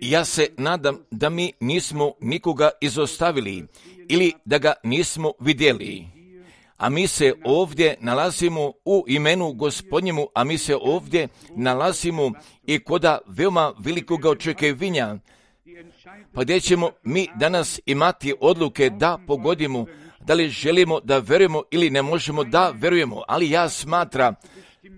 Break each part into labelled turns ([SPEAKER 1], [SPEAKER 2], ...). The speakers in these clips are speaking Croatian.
[SPEAKER 1] Ja se nadam da mi nismo nikoga izostavili ili da ga nismo vidjeli. A mi se ovdje nalazimo u imenu Gospodnjemu, a mi se ovdje nalazimo i koda veoma velikoga očekivanja, pa gdje ćemo mi danas imati odluke da pogodimo, da li želimo da verujemo ili ne možemo da verujemo, ali ja smatram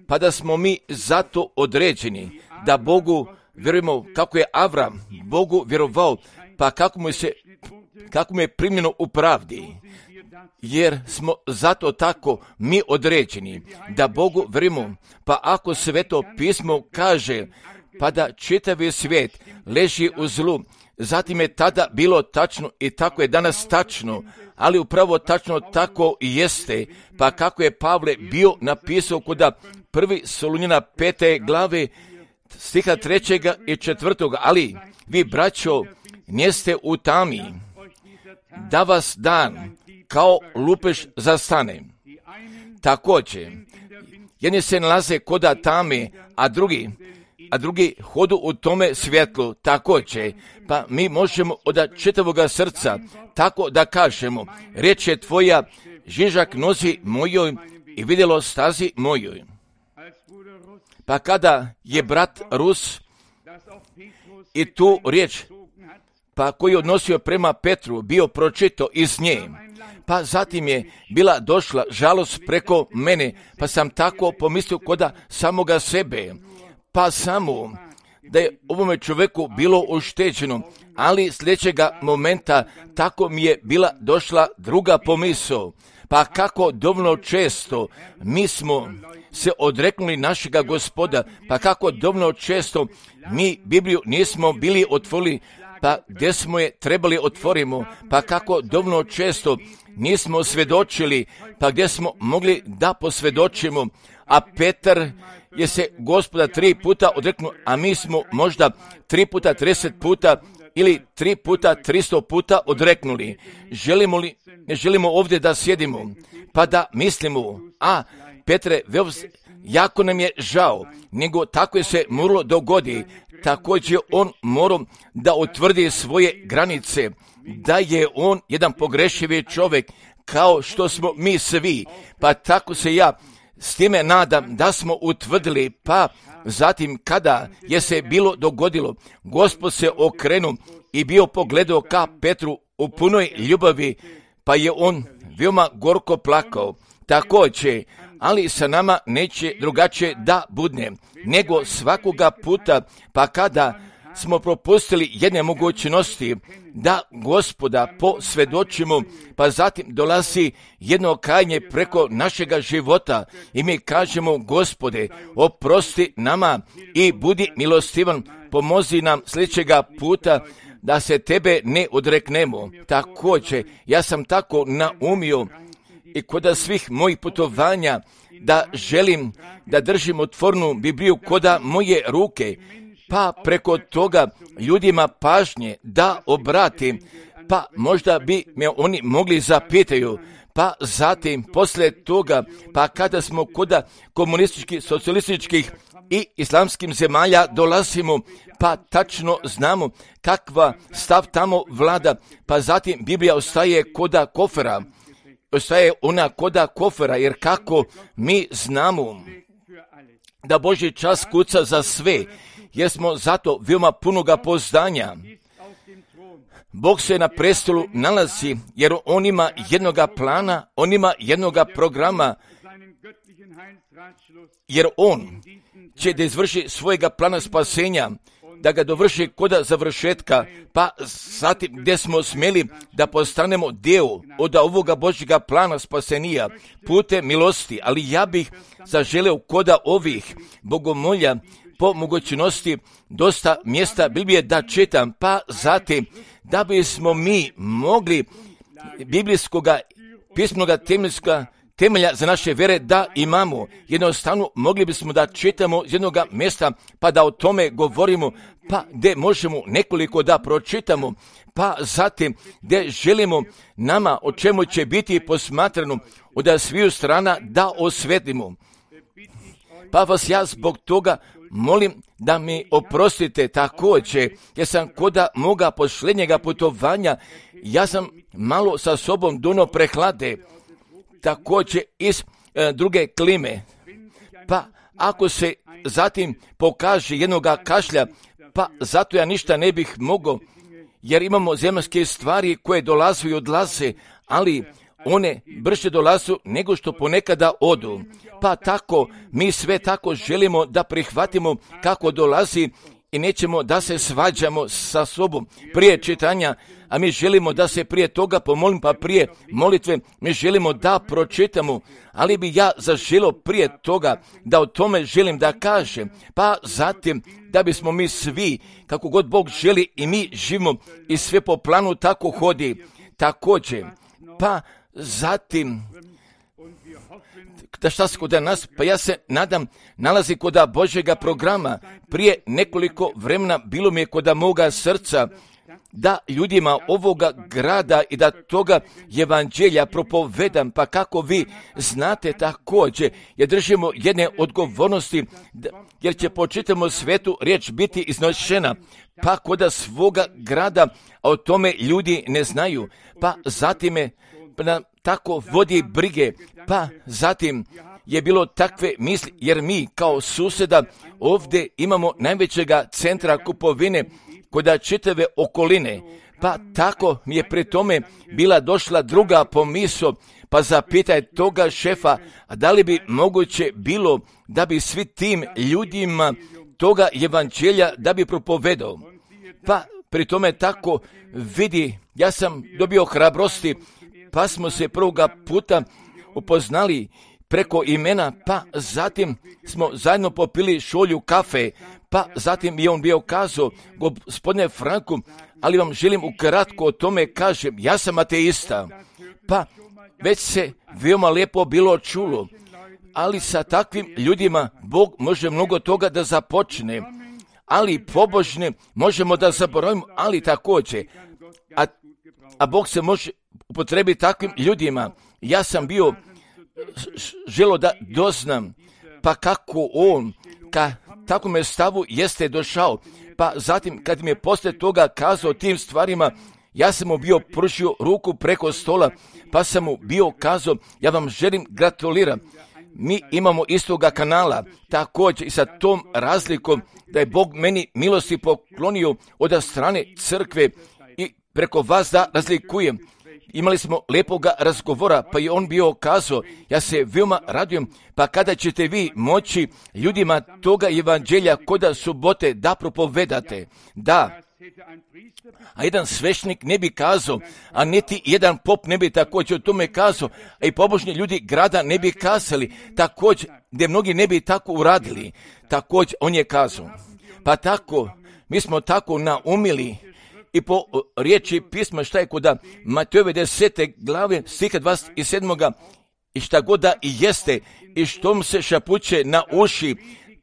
[SPEAKER 1] pa da smo mi zato određeni, da Bogu verujemo kako je Avram Bogu vjerovao, pa kako mu je primljeno u pravdi, jer smo zato tako mi određeni, da Bogu verujemo, pa ako Sveto pismo kaže, pa da čitavi svijet leži u zlu, zatim je tada bilo tačno i tako je danas tačno, ali upravo tačno tako i jeste, pa kako je Pavle bio napisao kuda 1. Solunjana 5. glave, stiha 3. i 4. Ali vi, braćo, njeste u tami, da vas dan kao lupež zastane. Također, jedni se nalaze koda tame, a drugi hodu u tome svjetlu. Također, pa mi možemo od čitavoga srca tako da kažemo, riječ je tvoja žižak nozi mojoj i vidjelo stazi mojoj. Pa kada je brat Rus i tu riječ, pa koji je odnosio prema Petru, bio pročito iz nje, pa zatim je bila došla žalost preko mene, pa sam tako pomislio koda samoga sebe, pa samo da je ovome čovjeku bilo ušteđeno, ali sljedećega momenta tako mi je bila došla druga pomisao, pa kako dovoljno često mi smo se odreknuli našega Gospoda, pa kako dovoljno često mi Bibliju nismo bili otvorili, pa gdje smo je trebali otvorimo, pa kako dovoljno često nismo svjedočili, pa gdje smo mogli da posvjedočimo, a Petar je se Gospoda 3 puta odreknuo, a mi smo možda 3 puta 30 puta ili 3 puta 300 puta odreknuli. Želimo li, ne želimo ovdje da sjedimo, pa da mislimo, Petre, jako nam je žao, nego tako je se moralo dogodi. Također on morao da utvrdi svoje granice, da je on jedan pogrešivi čovjek, kao što smo mi svi, pa tako se ja s time nadam da smo utvrdili, pa zatim kada je se bilo dogodilo, Gospod se okrenuo i bio pogledao ka Petru u punoj ljubavi, pa je on veoma gorko plakao. Također, ali sa nama neće drugačije da budne, nego svakoga puta, pa kada smo propustili jedne mogućnosti da Gospoda posvjedočimo, pa zatim dolazi jedno kajanje preko našega života i mi kažemo, Gospode, oprosti nama i budi milostivan, pomozi nam sljedećega puta da se tebe ne odreknemo. Također, ja sam tako naumio i kod svih mojih putovanja da želim da držim otvornu Bibliju koda moje ruke, pa preko toga ljudima pažnje da obratim, pa možda bi me oni mogli zapitaju, pa zatim poslije toga, pa kada smo koda komunističkih, socijalističkih i islamskih zemalja dolazimo, pa tačno znamo kakva stav tamo vlada, pa zatim Biblija ostaje koda kofera, ostaje ona koda kofera, jer kako mi znamo da Božji čas kuca za sve, jer smo zato veoma punoga poznanja. Bog se na prestolu nalazi, jer on ima jednoga plana, on ima jednoga programa, jer on će da izvrši svojega plana spasenja, da ga dovrši koda završetka, pa zatim gdje smo smjeli da postanemo dio od ovoga Božjega plana spasenija putem milosti, ali ja bih zaželeo koda ovih bogomolja po mogućnosti dosta mjesta Biblije da čitam, pa zatim da bismo mi mogli biblijskoga pismoga temelja za naše vjere da imamo. Jednostavno mogli bismo da čitamo iz jednog mjesta pa da o tome govorimo, pa gdje možemo nekoliko da pročitamo, pa zatim gdje želimo nama o čemu će biti posmatrano od sviju strana da osvetlimo. Pa vas ja zbog toga molim da mi oprostite također, jer sam koda moga posljednjega putovanja, ja sam malo sa sobom dono prehlade, također iz druge klime. Pa ako se zatim pokaže jednoga kašlja, pa zato ja ništa ne bih mogao, jer imamo zemaljske stvari koje dolazu i odlaze, ali one brže dolazu nego što ponekada odu. Pa tako, mi sve tako želimo da prihvatimo kako dolazi i nećemo da se svađamo sa sobom prije čitanja, a mi želimo da se prije toga pomolim, pa prije molitve mi želimo da pročitamo, ali bi ja zaželio prije toga da o tome želim da kažem, pa zatim da bismo mi svi, kako god Bog želi i mi živimo i sve po planu tako hodi, također, pa zatim, da šta se kod nas, pa ja se nadam, nalazi kod Božjega programa. Prije nekoliko vremena bilo mi je kod moga srca da ljudima ovoga grada i da toga evanđelja propovedam, pa kako vi znate također, jer držimo jedne odgovornosti, jer će po čitavom svetu riječ biti iznošena, pa kod svoga grada, a o tome ljudi ne znaju, pa zatim je tako vodi brige, pa zatim je bilo takve misli, jer mi kao susjeda ovdje imamo najvećega centra kupovine kod čitave okoline, pa tako mi je pri tome bila došla druga pomisao, pa zapitaj toga šefa, a da li bi moguće bilo da bi svi tim ljudima toga evanđelja da bi propovedao. Pa pri tome tako vidi, ja sam dobio hrabrosti, pa smo se prvoga puta upoznali preko imena, pa zatim smo zajedno popili šolju kafe, pa zatim je on bio kazao, gospodine Franku, ali vam želim ukratko o tome kažem, ja sam ateista, pa već se veoma lijepo bilo čulo, ali sa takvim ljudima Bog može mnogo toga da započne, ali pobožne možemo da zaboravimo, ali također, a Bog se može upotrebiti takvim ljudima. Ja sam bio želo da doznam, pa kako on, ka takvom stavu jeste došao, pa zatim kad mi je poslije toga kazao tim stvarima, ja sam mu bio pružio ruku preko stola, pa sam mu bio kazao, ja vam želim gratuliram. Mi imamo istoga kanala, također i sa tom razlikom da je Bog meni milosti poklonio od strane crkve i preko vas da razlikujem. Imali smo lepoga razgovora, pa je on bio kazao, ja se veoma radujem, pa kada ćete vi moći ljudima toga evanđelja koda subote da propovedate, da. A jedan svešnik ne bi kazao, a niti jedan pop ne bi također o tome kazao, a i pobožni ljudi grada ne bi kazali, također, gdje mnogi ne bi tako uradili, također on je kazao. Pa tako, mi smo tako naumili, i po riječi pisma šta je kod Matejove 10. glave stiha 27. i šta god da i jeste i što mu se šapuće na uši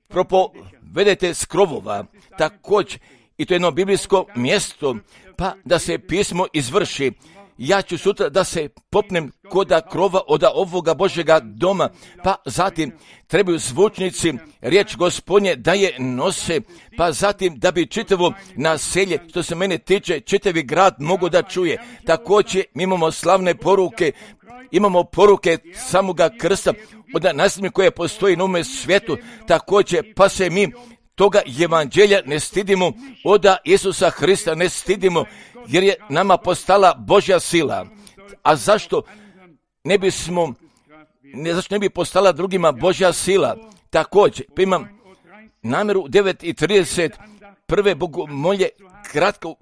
[SPEAKER 1] propovedete s krovova, također i to je jedno biblijsko mjesto, pa da se pismo izvrši. Ja ću sutra da se popnem koda krova od ovoga Božjega doma, pa zatim trebaju zvučnici riječ Gospodnje da je nose, pa zatim da bi čitavo naselje, što se mene tiče, čitavi grad mogu da čuje. Također mi imamo slavne poruke, imamo poruke samoga krsta od nasljednje koje postoji na ovome svijetu, također pa se mi toga evanđelja ne stidimo, od Isusa Hrista ne stidimo, jer je nama postala Božja sila. A zašto ne bi postala drugima Božja sila? Također, pa imam namjeru 9:30 prve bogomolje, kratko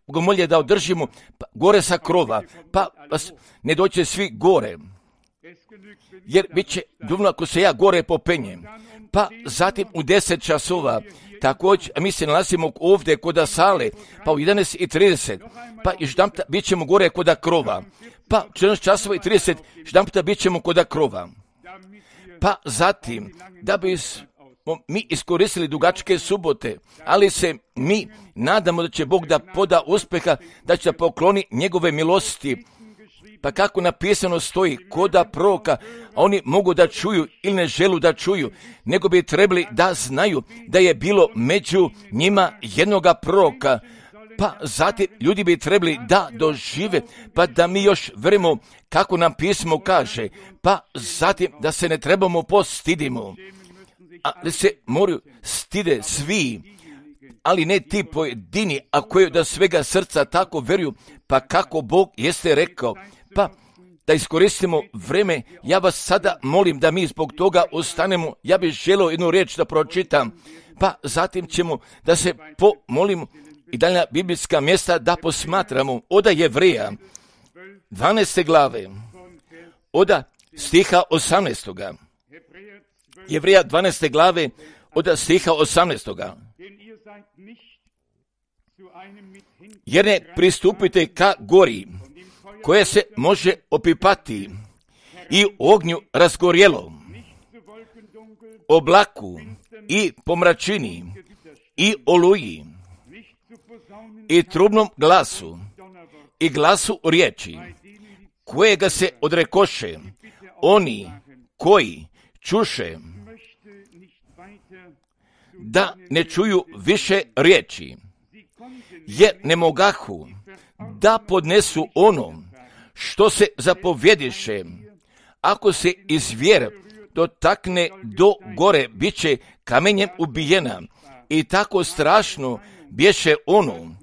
[SPEAKER 1] bogomolje da održimo gore sa krova, pa vas ne doće svi gore, jer bit će dovoljno ako se ja gore popenjem. Pa zatim u 10 časova, također, mi se nalazimo ovdje kod sale, pa u 11:30, pa i ždamta bit ćemo gore kod krova, pa u 14 časova i 30 ždamta bit ćemo kod krova. Pa zatim, da bismo mi iskoristili dugačke subote, ali se mi nadamo da će Bog da poda uspjeha, da će pokloni njegove milosti. Pa kako napisano stoji, koda proroka, a oni mogu da čuju ili ne želu da čuju, nego bi trebali da znaju da je bilo među njima jednoga proroka. Pa zatim ljudi bi trebali da dožive, pa da mi još verimo kako nam pismo kaže, pa zatim da se ne trebamo postidimo, ali se moraju stide svi, ali ne ti pojedini, a koji da svega srca tako veruju, pa kako Bog jeste rekao, pa da iskoristimo vreme. Ja vas sada molim da mi zbog toga ostanemo. Ja bih želio jednu riječ da pročitam, pa zatim ćemo da se pomolimo i dalja biblijska mjesta da posmatramo. Oda Jevreja 12. glave, oda stiha 18. Jevreja 12. glave, oda stiha 18. Jer ne pristupite ka gori, koje se može opipati i ognju razgorjelo, oblaku i pomračini i oluji i trubnom glasu i glasu riječi, kojega se odrekoše oni koji čuše, da ne čuju više riječi, jer ne mogahu da podnesu ono što se zapovjediše. Ako se iz vjere dotakne do gore, bit će kamenjem ubijena. I tako strašno bješe ono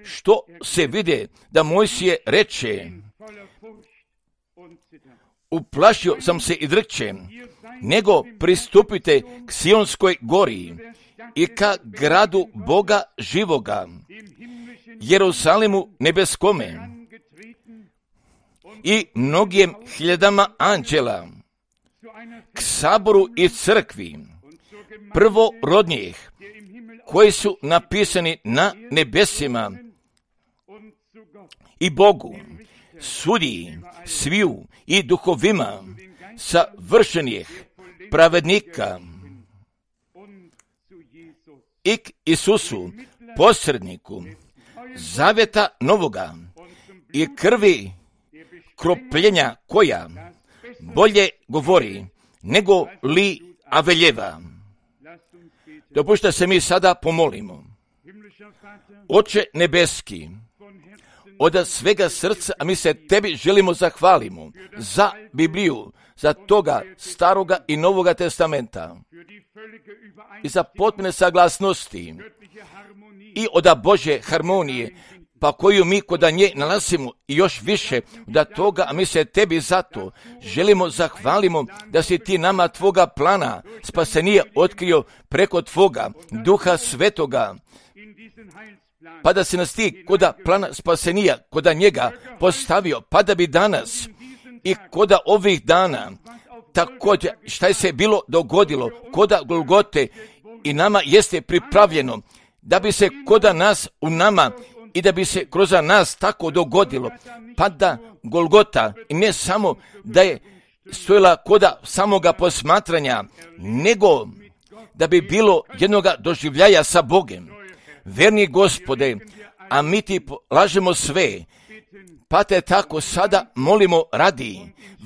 [SPEAKER 1] što se vide da Mojsije reče, uplašio sam se i drče, nego pristupite k Sionskoj gori i ka gradu Boga živoga, Jerusalimu nebeskome i mnogim hiljadama anđela, k saboru i crkvi prvorodnijih, koji su napisani na nebesima, i Bogu, sudiji sviju i duhovima savršenih pravednika, i k Isusu, posredniku zavjeta novoga i krvi kropljenja, koja bolje govori nego li Aveljeva. Dopušta se mi sada pomolimo. Oče nebeski, od svega srca, a mi se tebi želimo zahvalimo za Bibliju, za toga staroga i novoga testamenta i za potpune saglasnosti i od Božje harmonije, pa koju mi kod nje nalazimo, i još više da toga, a mi se tebi zato želimo zahvalimo da si ti nama tvoga plana spasenija otkrio preko tvoga Duha Svetoga, pa da si nas ti koda plana spasenija, koda njega postavio, pa da bi danas i koda ovih dana također šta je se bilo dogodilo koda Golgote i nama jeste pripravljeno, da bi se koda nas u nama i da bi se kroz nas tako dogodilo, pa da Golgota i ne samo da je stojila koda samoga posmatranja, nego da bi bilo jednoga doživljaja sa Bogem. Verni Gospode, a mi ti lažemo sve, pa te tako sada molimo radi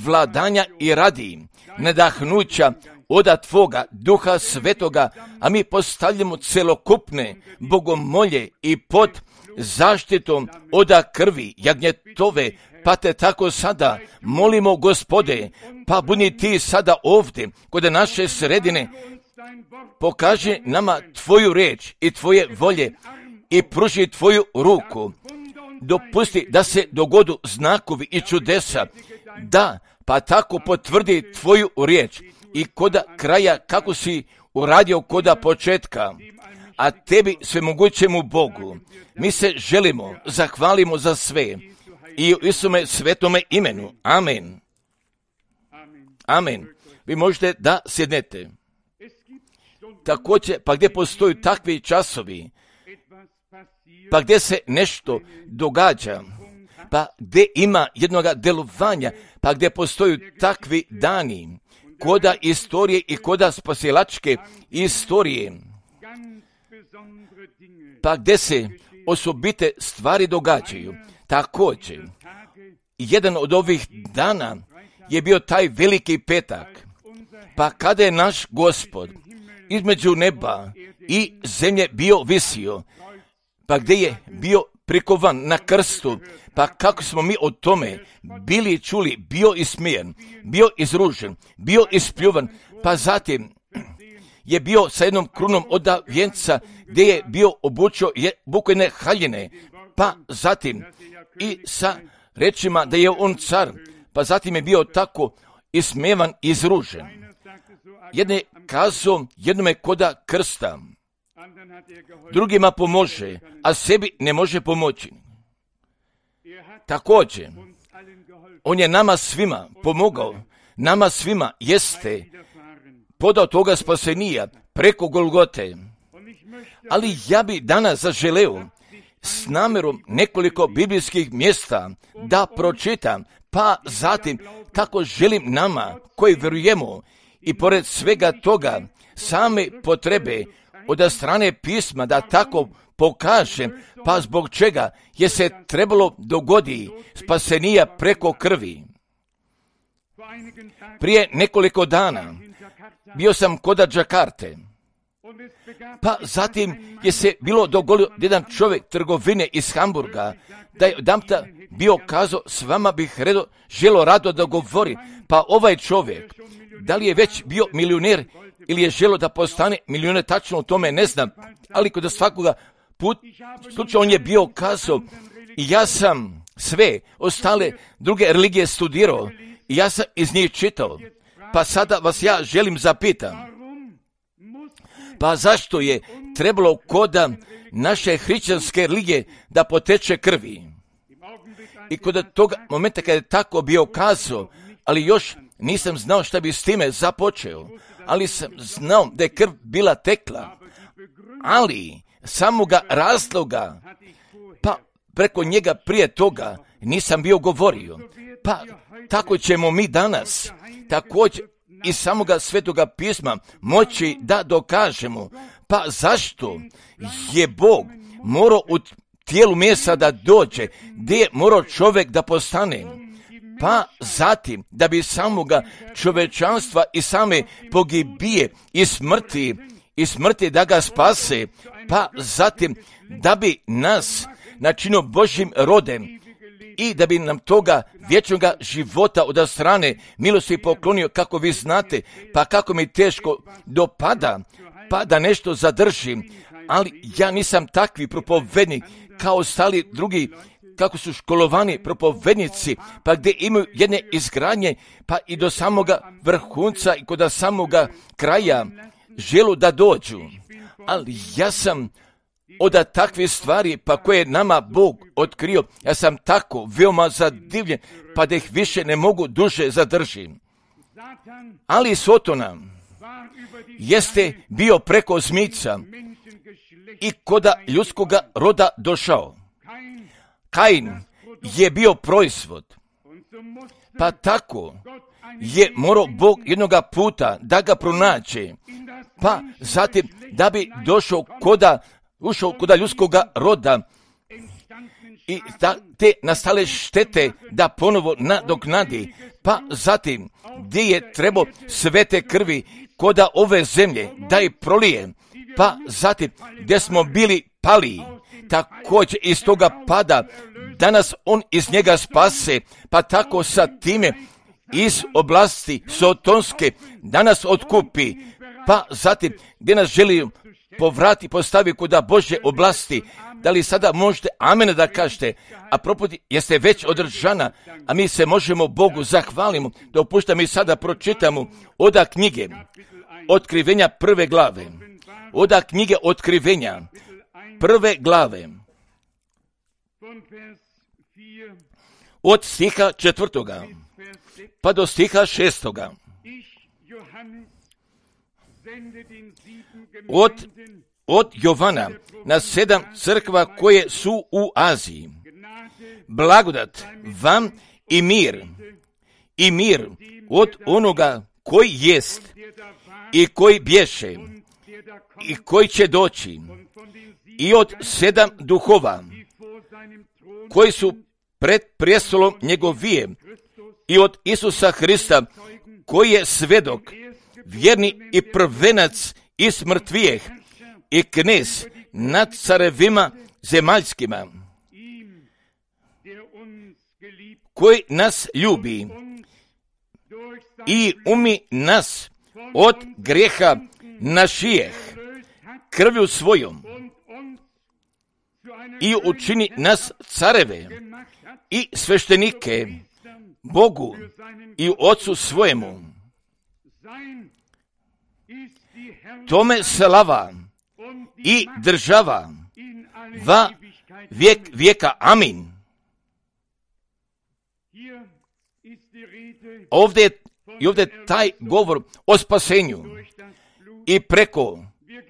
[SPEAKER 1] vladanja i radi nadahnuća oda tvoga Duha Svetoga, a mi postavljamo celokupne bogomolje i pod zaštitom oda krvi jagnjetove, pa te tako sada molimo, Gospode, pa budi ti sada ovdje kod naše sredine, pokaži nama tvoju riječ i tvoje volje i pruži tvoju ruku. Dopusti da se dogodu znakovi i čudesa, da pa tako potvrdi tvoju riječ i koda kraja kako si uradio koda početka, a tebi svemogućemu Bogu mi se želimo, zahvalimo za sve i u Isume svetome imenu. Amen. Amen. Vi možete da sjednete. Također, pa gdje postoju takvi časovi, pa gdje se nešto događa, pa gdje ima jednoga delovanja, pa gdje postoju takvi dani, koda istorije i koda spasilačke istorije, pa gdje se osobite stvari događaju, također jedan od ovih dana je bio taj veliki petak, pa kada je naš Gospod između neba i zemlje bio visio, pa gdje je bio prikovan na krstu, pa kako smo mi o tome bili čuli, bio ismijen, bio izružen, bio ispljuvan, pa zatim je bio sa jednom krunom od vjenca gdje je bio obučio bukvene haljine, pa zatim i sa rečima da je on car, pa zatim je bio tako ismevan i izružen. Jedne kazao jednome koda krsta, drugima pomože, a sebi ne može pomoći. Također, on je nama svima pomogao, nama svima jeste podao toga spasenija preko Golgote. Ali ja bi danas zaželeo s namjerom nekoliko biblijskih mjesta da pročitam, pa zatim kako želim nama koji vjerujemo i pored svega toga same potrebe od strane pisma da tako pokažem, pa zbog čega je se trebalo dogodi spasenija preko krvi. Prije nekoliko dana bio sam kod Đakarte, pa zatim je se bilo dogodio jedan čovjek trgovine iz Hamburga, da je odamta bio kazao, s vama bih želo rado da govori, pa ovaj čovjek, da li je već bio milioner ili je želo da postane milioner, tačno o tome ne znam, ali kod svakoga slučaja on je bio kazao, i ja sam sve ostale druge religije studirao i ja sam iz njih čitao, pa sada vas ja želim zapitam, pa zašto je trebalo kod naše hrišćanske religije da poteče krvi? I kod toga momenta kada je tako bio kazao, ali još nisam znao šta bi s time započeo, ali sam znao da je krv bila tekla, ali samoga razloga, pa preko njega prije toga nisam bio govorio. Pa tako ćemo mi danas također iz samoga svetoga pisma moći da dokažemo, pa zašto je Bog morao u tijelu mesa da dođe, gdje je morao čovjek da postane, pa zatim da bi samoga čovečanstva i same pogibije i smrti da ga spase, pa zatim da bi nas načinio Božjim rodem i da bi nam toga vječnoga života od strane milosti poklonio, kako vi znate, pa kako mi teško dopada, pa da nešto zadržim, ali ja nisam takvi propovednik kao ostali drugi, kako su školovani propovednici, pa gdje imaju jedne izgradnje, pa i do samoga vrhunca i kod samoga kraja želu da dođu. Ali ja sam od takvih stvari, pa koje je nama Bog otkrio, ja sam tako veoma zadivljen, pa da ih više ne mogu duže zadržim. Ali Sotona jeste bio preko zmica i koda ljudskoga roda došao. Kain je bio proizvod, pa tako je morao Bog jednoga puta da ga pronaće, pa zatim da bi ušao koda ljudskoga roda i te nastale štete da ponovo nadoknadi, pa zatim gdje je trebao svete krvi koda ove zemlje da i prolije, pa zatim gdje smo bili pali, također iz toga pada danas on iz njega spase, pa tako sa time iz oblasti sotonske danas otkupi, pa zatim gdje nas želi povrati, postavi kuda Božje oblasti. Da li sada možete amen da kažete, a proputi jeste već održana, a mi se možemo Bogu zahvalimo. Dopušta mi sada pročitamo oda knjige Otkrivenja 1. glave. Oda knjige Otkrivenja 1. glave. Od stiha 4. pa do stiha 6. Od Jovana na 7 crkva koje su u Aziji. Blagodat vam i mir od onoga koji jest i koji bješe i koji će doći i od 7 duhova koji su pred prijestolom njegovije i od Isusa Hrista, koji je svedok, vjerni i prvenac iz mrtvijeh i knez nad carevima zemaljskima, koji nas ljubi i umi nas od grijeha našijeh krvju svojom i učini nas careve i sveštenike Bogu i Otcu svojemu. Tome slava i država va vijek vijeka. Amin. Ovdje je taj govor o spasenju i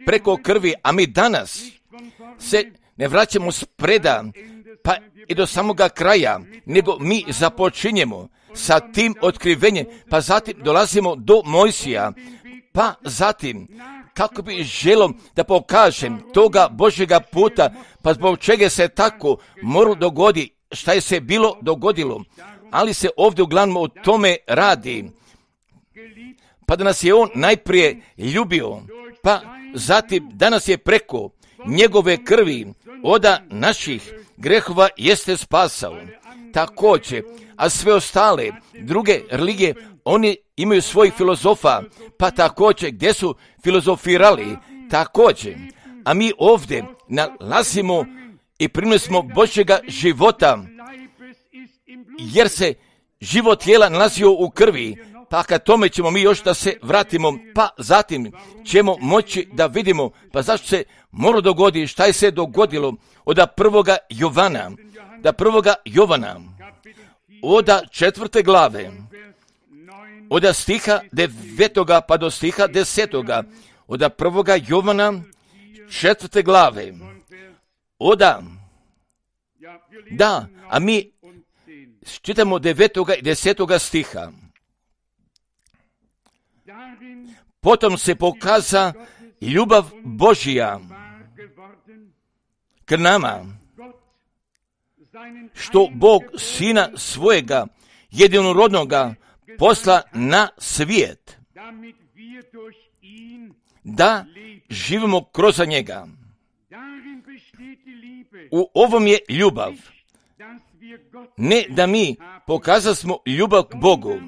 [SPEAKER 1] preko krvi, a mi danas se ne vraćamo spreda pa i do samoga kraja, nego mi započinjemo sa tim otkrivenjem, pa zatim dolazimo do Mojsija, pa zatim kako bi želio da pokažem toga Božjega puta, pa zbog čega se tako moralo dogodi, šta je se bilo dogodilo, ali se ovdje uglavnom o tome radi. Pa da nas je on najprije ljubio, pa zatim danas je preko njegove krvi oda naših grehova jeste spasao. Također, a sve ostale druge religije, oni imaju svojih filozofa, pa također gdje su filozofirali, također. A mi ovdje nalazimo i primili smo Božjega života, jer se život tijela nalazio u krvi, pa kad tome ćemo mi još da se vratimo, pa zatim ćemo moći da vidimo, pa zašto se moralo dogoditi, šta je se dogodilo od prvoga Jovana, od 4. glave, od stiha 9. pa do stiha 10. od 1. Jovana 4. glave, a mi čitamo 9. i 10. stiha. Potom se pokaza ljubav Božja k nama, što Bog Sina svojega jedinorodnoga posla na svijet, da živimo kroz njega. U ovom je ljubav, ne da mi pokazasmo ljubav k Bogu,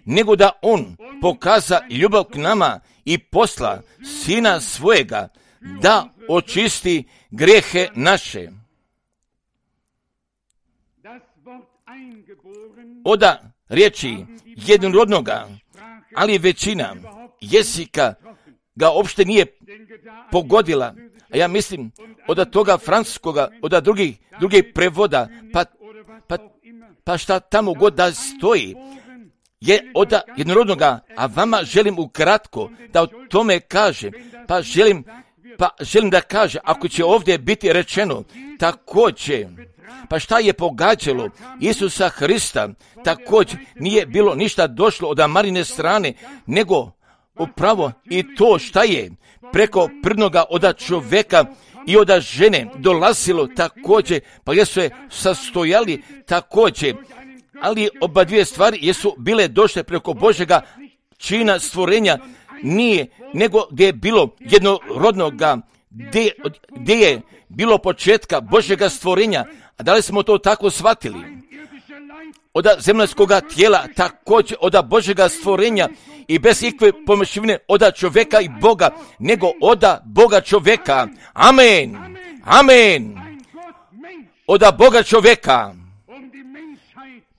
[SPEAKER 1] nego da on pokaza ljubav k nama i posla Sina svojega da očisti grijehe naše. Od riječi jednorodnoga, ali većina jezika ga uopšte nije pogodila. A ja mislim od toga francuskoga, od drugih prevoda, pa šta tamo god da stoji, je od jednorodnoga, a vama želim ukratko da o tome kažem, pa želim da kaže, ako će ovdje biti rečeno, također, pa šta je pogađalo Isusa Hrista, također nije bilo ništa došlo od Marine strane, nego upravo i to šta je preko prvnoga od čovjeka i od žene dolazilo također, pa jesu se sastojali također, ali oba dvije stvari jesu bile došle preko Božjega čina stvorenja, nije, nego gdje je bilo jednorodnoga, gdje je bilo početka Božjega stvorenja, a da li smo to tako shvatili? Od zemaljskoga tijela, također od Božjega stvorenja i bez ikve pomešivine od čovjeka i Boga, nego od Boga čovjeka. Amen. Amen. Od Boga čovjeka.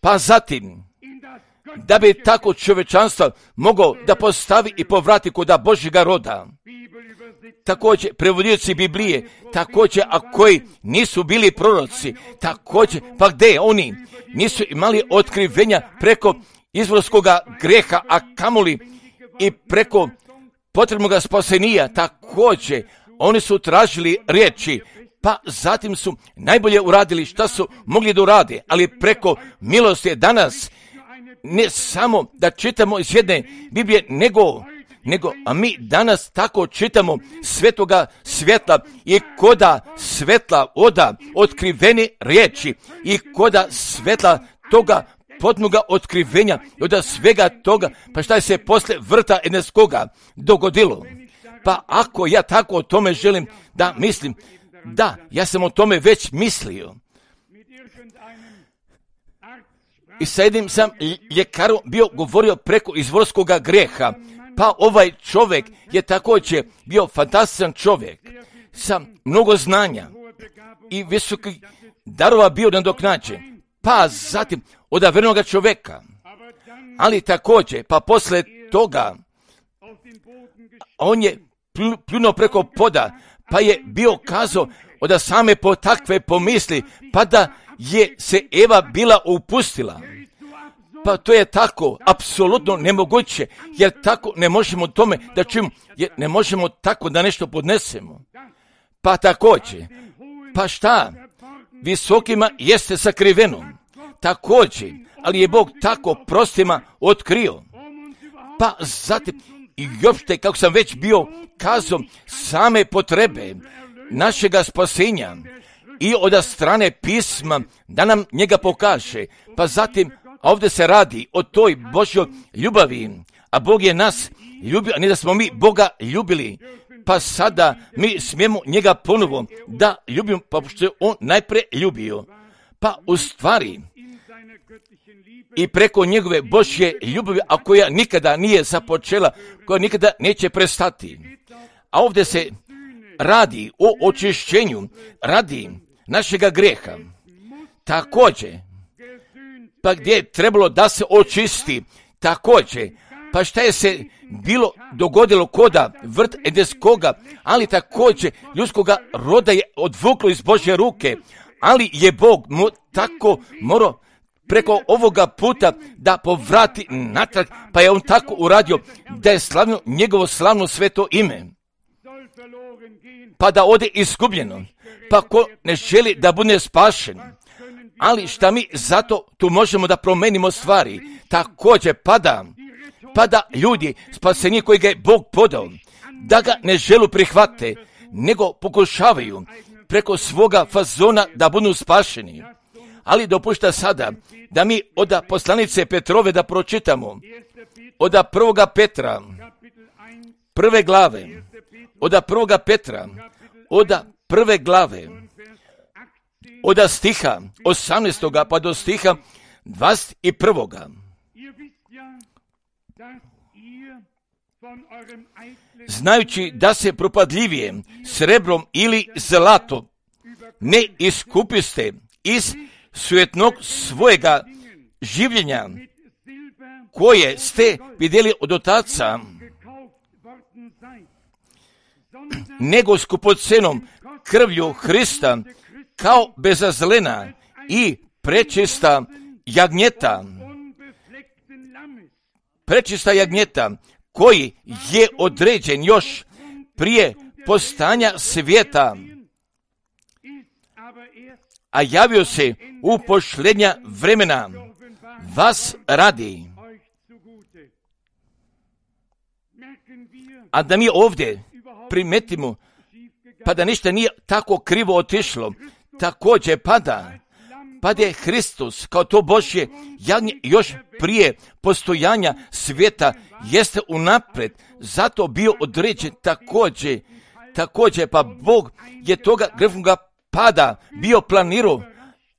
[SPEAKER 1] Pa zatim, da bi tako čovječanstvo mogao da postavi i povrati kod Božjega roda. Također, prevodioci Biblije, također, a koji nisu bili proroci, također, pa gdje oni nisu imali otkrivenja preko izvorskoga greha, a kamoli i preko potrebnoga spasenija, također, oni su tražili riječi, pa zatim su najbolje uradili šta su mogli da urade, ali preko milosti danas, ne samo da čitamo iz jedne Biblije, nego nego a mi danas tako čitamo svetoga svjetla i koda svetla oda otkrivene riječi i koda svetla toga potpunoga otkrivenja i od svega toga, pa šta je se posle vrta eneskoga dogodilo. Pa ako ja tako o tome želim da mislim, da, ja sam o tome već mislio. I sa jednim sam ljekarom bio govorio preko izvorskoga greha, pa ovaj čovjek je također bio fantastičan čovjek sa mnogo znanja i visokih darova bio nadoknađen, pa zatim odavernoga čovjeka, ali također, pa posle toga on je pljunuo preko poda, pa je bio kazao od same po takve pomisli, pa da je se Eva bila upustila. Pa to je tako, apsolutno nemoguće, jer tako ne možemo tome da čujemo, jer ne možemo tako da nešto podnesemo. Pa također, pa šta, visokima jeste sakriveno, također, ali je Bog tako prostima otkrio. Pa zatim, i uopšte, kako sam već bio kazao, same potrebe našega spasenja i od strane pisma da nam njega pokaže. Pa zatim, ovdje se radi o toj Božjoj ljubavi, a Bog je nas ljubio, a ne da smo mi Boga ljubili. Pa sada mi smijemo njega ponovo da ljubimo, pa što je on najprije ljubio. Pa u stvari, i preko njegove Božje ljubavi, a koja nikada nije započela, koja nikada neće prestati. A ovdje se radi o očišćenju radi našega greha. Također, pa gdje je trebalo da se očisti, također, pa šta je se bilo dogodilo koda vrt edenskoga, ali također ljudskoga roda je odvuklo iz Božje ruke, ali je Bog mu tako morao preko ovoga puta da povrati natrag, pa je on tako uradio da je slavno njegovo slavno sveto ime, pa da ode izgubljeno, pa ko ne želi da bude spašen. Ali šta mi zato tu možemo da promenimo stvari, također pa da ljudi spaseni koji ga je Bog podao, da ga ne želu prihvate, nego pokušavaju preko svoga fazona da budu spašeni. Ali dopušta sada da mi od poslanice Petrove da pročitamo, od 1. Petra, 1. glave, od 1. Petra, od 1. glave, od stiha 18. pa do stiha 21. Znajući da se propadljivije srebrom ili zlatom ne iskupiste iz sujetnog svojega življenja, koje ste vidjeli od otaca, nego skupocenom krvlju Hrista, kao bezazlena i prečista jagnjeta, koji je određen još prije postanja svijeta, a javio se u posljednja vremena vas radi. A da mi ovdje primetimo, pa da ništa nije tako krivo otišlo, također pada je Hristos kao to Božje jagnje još prije postojanja svijeta jeste unaprijed, zato bio određen također pa Bog je toga grefnoga pada bio planirao,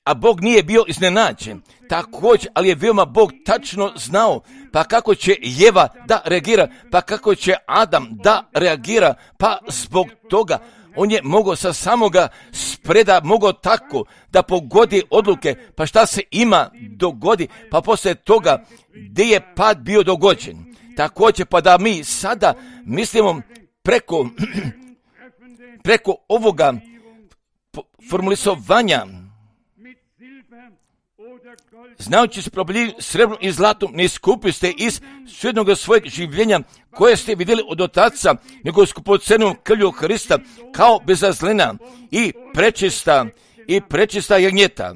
[SPEAKER 1] a Bog nije bio iznenađen. Također, ali je veoma Bog tačno znao, pa kako će Jeva da reagira, pa kako će Adam da reagira, pa zbog toga on je mogao sa samoga spreda, mogao tako da pogodi odluke, pa šta se ima dogodi, pa poslije toga gdje je pad bio dogođen. Također, pa da mi sada mislimo preko ovoga formulisovanja, znajući se propadljivim srebrom i zlatom ne iskupiste iz sujetnog svojeg življenja koje ste vidjeli od otaca, nego skupocenom krvlju Hrista, kao bezazlena i prečista jagnjeta.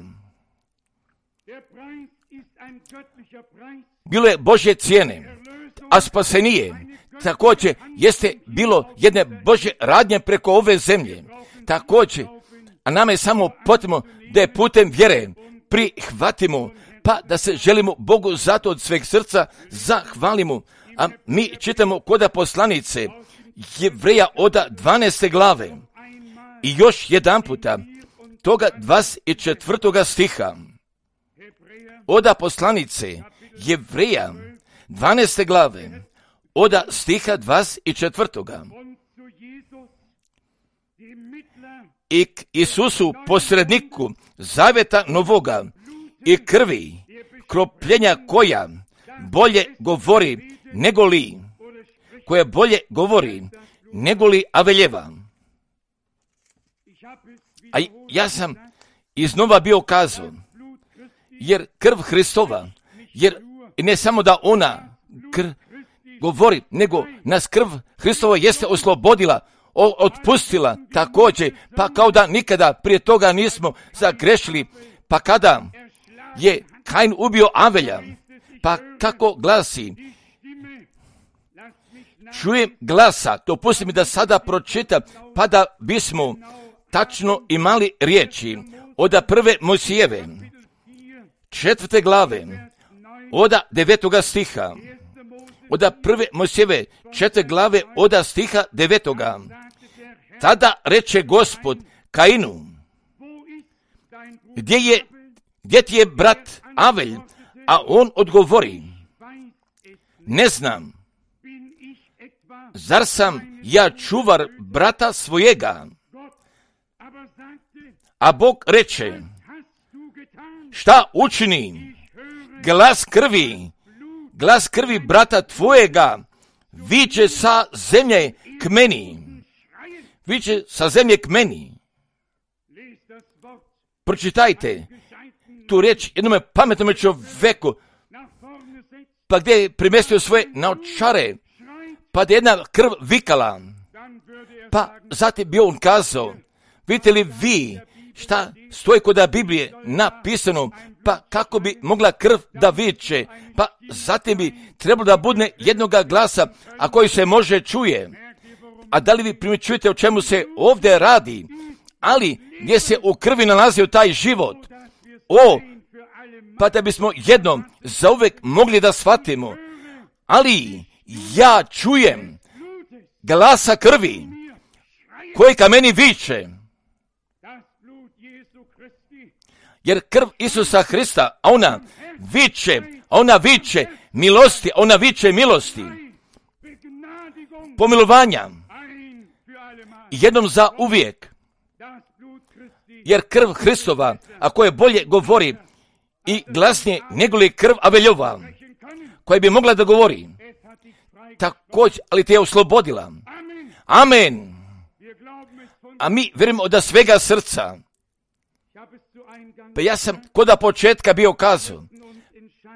[SPEAKER 1] Bilo je Božje cijene, a spasenije također jeste bilo jedne Božje radnje preko ove zemlje. Također, a nama je samo potrebno da je putem vjere prihvatimo, pa da se želimo Bogu zato od sveg srca zahvalimo. A mi čitamo koda poslanice Jevreja od 12. glave i još jedan puta toga 24. stiha. Oda poslanice Jevreja 12. glave oda stiha 24. I k Isusu posredniku zavjeta novoga i krvi kropljenja koja bolje govori nego li, koja bolje govori nego li Aveljeva. A ja sam iznova bio kazao, jer krv Hristova, jer ne samo da ona govori, nego nas krv Hristova jeste oslobodila, otpustila također, pa kao da nikada prije toga nismo zagrešili, pa kada je Kain ubio Avelja, pa kako glasi, čujem glasa, to pusti mi da sada pročitam, pa da bismo tačno imali riječi od 1. Mojsijeve, 4. glave, od 9. stiha, od 1. Mojsijeve, 4. glave, od stiha 9. Tada reče Gospod Kainu, gdje ti je brat Avelj? A on odgovori, ne znam, zar sam ja čuvar brata svojega? A Bog reče, šta učini? Glas krvi brata tvojega viče sa zemlje k meni. Viče sa zemlje k meni. Pročitajte tu riječ jednome pametnome čovjeku, pa gdje je primestio svoje naočare, pa da je jedna krv vikala, pa zatim bi on kazao, vidite li vi šta stoji kod Biblije napisano, pa kako bi mogla krv da viče, pa zatim bi trebalo da budne jednoga glasa, a koji se može čuje. A da li vi primjećujete o čemu se ovdje radi? Ali gdje se u krvi nalazio taj život? Pa da bismo jednom zauvek mogli da shvatimo. Ali ja čujem glasa krvi koji ka meni viče. Jer krv Isusa Hrista, ona viče milosti, pomilovanja, jednom za uvijek. Jer krv Hristova, ako je bolje govori i glasnije nego li krv Aveljova, koja bi mogla da govori, također, ali te je oslobodila. Amen. A mi vjerujemo od svega srca. Pa ja sam koda početka bio kazao,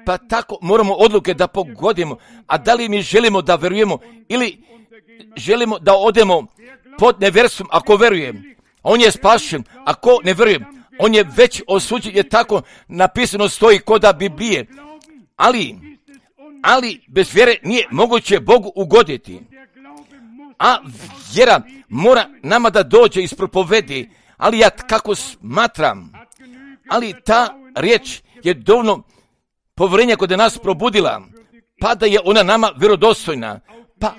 [SPEAKER 1] pa tako moramo odluke da pogodimo, a da li mi želimo da verujemo ili želimo da odemo pod neverstvom ako verujem. On je spašen, ako ne verujem, on je već osuđen, je tako napisano stoji koda Biblije. Ali bez vjere nije moguće Bogu ugoditi. A vjera mora nama da dođe iz propovedi, ali ja kako smatram, ali ta riječ je dovoljno povjerenja kod nas probudila, pa da je ona nama vjerodostojna, pa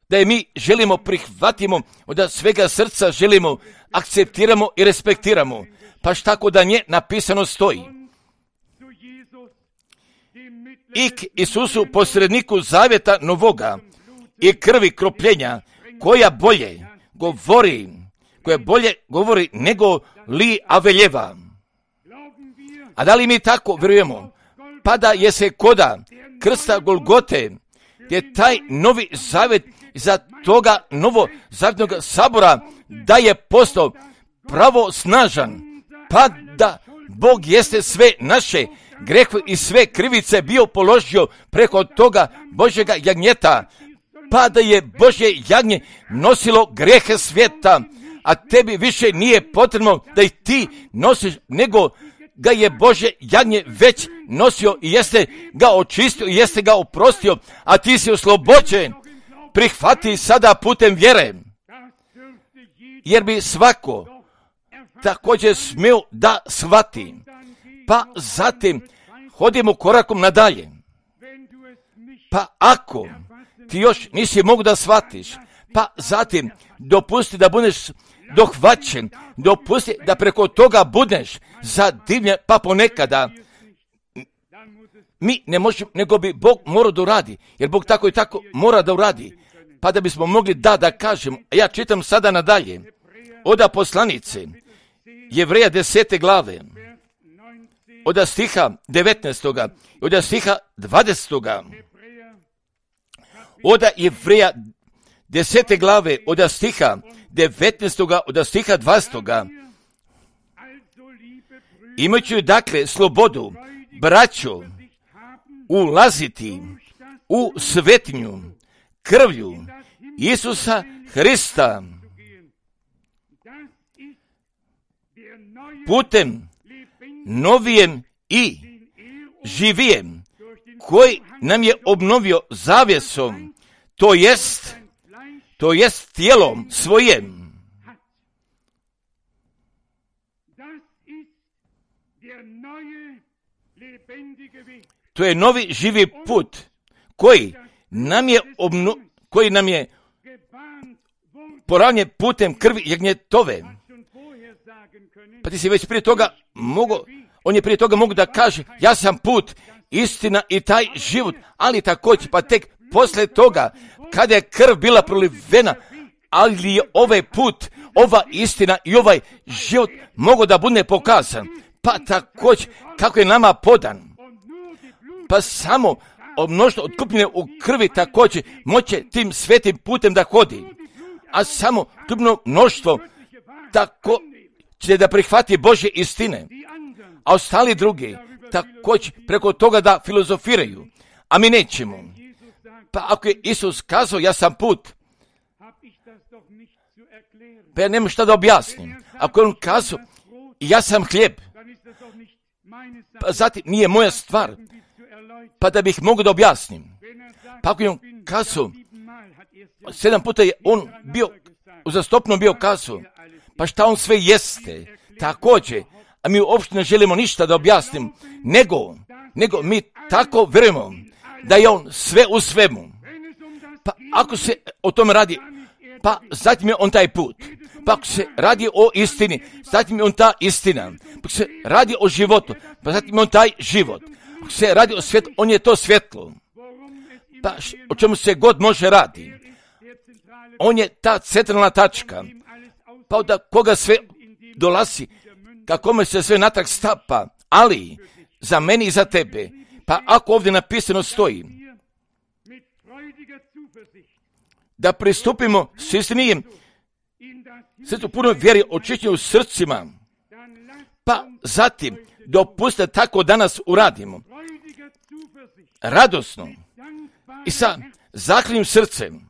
[SPEAKER 1] da je mi želimo prihvatimo, od svega srca želimo, akceptiramo i respektiramo, pa šta kod da nje napisano stoji. I k Isusu posredniku zavjeta novoga i krvi kropljenja, koja bolje govori nego li Aveljeva. A da li mi tako vjerujemo? Pa da je se koda krsta Golgote, gdje taj novi zavjet za toga novozavjetnog sabora da je postao pravo snažan, pa da Bog jeste sve naše grehe i sve krivice bio položio preko toga Božjega jagnjeta, pa da je Božje jagnje nosilo grehe svijeta, a tebi više nije potrebno da ih ti nosiš, nego ga je Božje jagnje već nosio i jeste ga očistio i jeste ga oprostio, a ti si oslobođen. prihvati sada putem vjere, jer bi svako također smio da shvati. Pa zatim hodimo korakom nadalje. Pa ako ti još nisi mogu da shvatiš, pa zatim dopusti da budeš dohvaćen, dopusti da preko toga budeš zadivljen, pa ponekada mi ne možemo, nego bi Bog morao da uradi, jer Bog tako i tako mora da uradi, pa da bismo mogli da kažemo. Ja čitam sada nadalje, od poslanice Jevreja 10. glave, od stiha 19. od stiha 20. Od Jevreja 10. glave, od stiha 19. od stiha 20. Imajući dakle slobodu, braćo, ulaziti u svetinju krvlju Isusa Hrista putem novijem i živijem, koji nam je obnovio zavjesom, to jest tijelom svojim. To je novi živi put koji nam je poravnjen putem krvi jagnjetove. Pa ti si već prije toga on je prije toga mogu da kaže, ja sam put, istina i taj život, ali također pa tek poslije toga, kada je krv bila prolivena, ali je ovaj put, ova istina i ovaj život mogu da bude pokazan, pa također kako je nama podan. Pa samo mnoštvo otkupljene u krvi također moće tim svetim putem da hodi, a samo otkupljeno mnoštvo tako će da prihvati Božje istine, a ostali drugi također preko toga da filozofiraju, a mi nećemo. Pa ako je Isus kazao, ja sam put, pa ja nemam šta da objasnim. Ako je on kazao, ja sam hljeb, pa zatim nije moja stvar, pa da bih mogu da objasnim. Pa ako je on kazao, 7 puta je on bio, uzastopno bio kazao, pa šta on sve jeste, također, a mi uopšte ne želimo ništa da objasnim, nego mi tako vjerujemo da je on sve u svemu. Pa ako se o tome radi, pa zatim je on taj put. Pa ako se radi o istini, zatim je on ta istina. Pa ako se radi o životu, pa zatim je on taj život. Ako se radi o svjetlu, on je to svjetlo. Pa o čemu se god može radi. On je ta centralna tačka. Pa od koga sve dolazi, kakome se sve natrag stapa, ali za meni i za tebe. Pa ako ovdje napisano stoji, da pristupimo s istinijem, svetu punoj vjeri, očišćenju srcima, pa zatim dopustite tako danas uradimo. Radosno i sa zahvalnim srcem,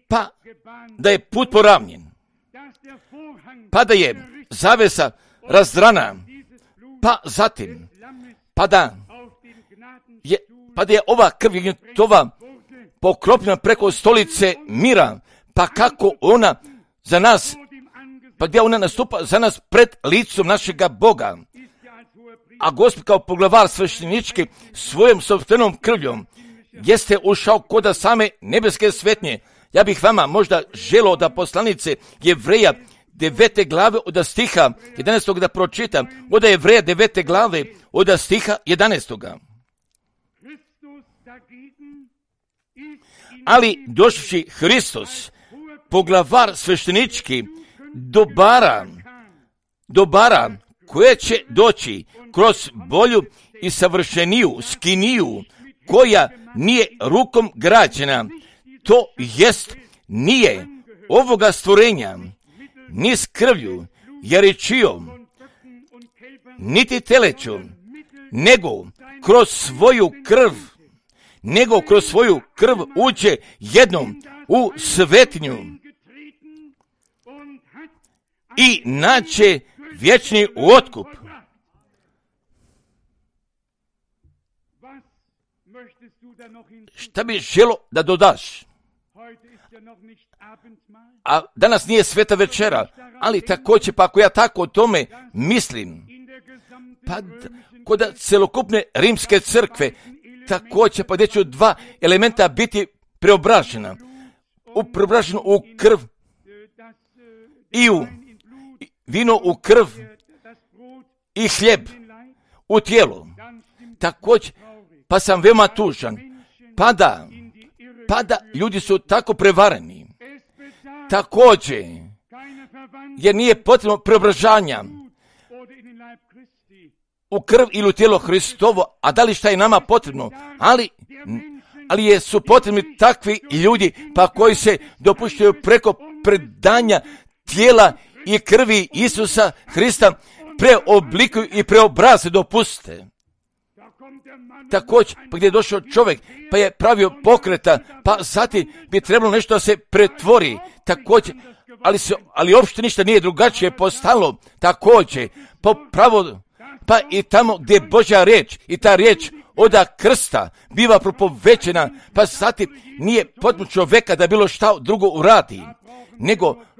[SPEAKER 1] pa da je put poravnjen, pa da je zavesa razdrana, pa zatim, pa da je ova krv jagnjetova pokropljena preko stolice mira, pa kako ona za nas, pa gdje ona nastupa za nas pred licom našega Boga. A Gospod kao poglavar sveštenički svojom sopstvenom krvljom jeste ušao kod same nebeske svetnje. Ja bih vama možda želio da poslanice Jevreja 9. glave od stiha 11. da pročitam. Od Jevreja 9. glave od stiha 11. Ali došavši Hristos, poglavar sveštenički, dobara koje će doći kroz bolju i savršeniju skiniju, koja nije rukom građena, to jest nije ovoga stvorenja, ni s krvlju, jaričijom, niti telećom, nego kroz svoju krv uđe jednom u svetinju i naće vječni otkup. Šta bi želo da dodaš? a danas nije sveta večera, ali također, pa ako ja tako o tome mislim, pa kod celokupne rimske crkve, također, pa gdje će dva elementa biti preobražena u krv i u vino u krv i hljeb u tijelo. Također, pa sam veoma tužan, pa da ljudi su tako prevareni. Također, jer nije potrebno preobražanja u krv ili u tijelo Hristovo, a da li šta je nama potrebno, ali su potrebni takvi ljudi pa koji se dopuštaju preko predanja tijela i krvi Isusa Hrista preoblikuju i preobraze dopuste. Također, pa gdje je došao čovjek, pa je pravio pokreta, pa zatim bi trebalo nešto da se pretvori. Također, ali uopšte ništa nije drugačije postalo. Također, pa i tamo gdje je Božja riječ i ta riječ oda krsta biva propovećena, pa zatim nije potrebno čovjeka da bilo šta drugo uradi,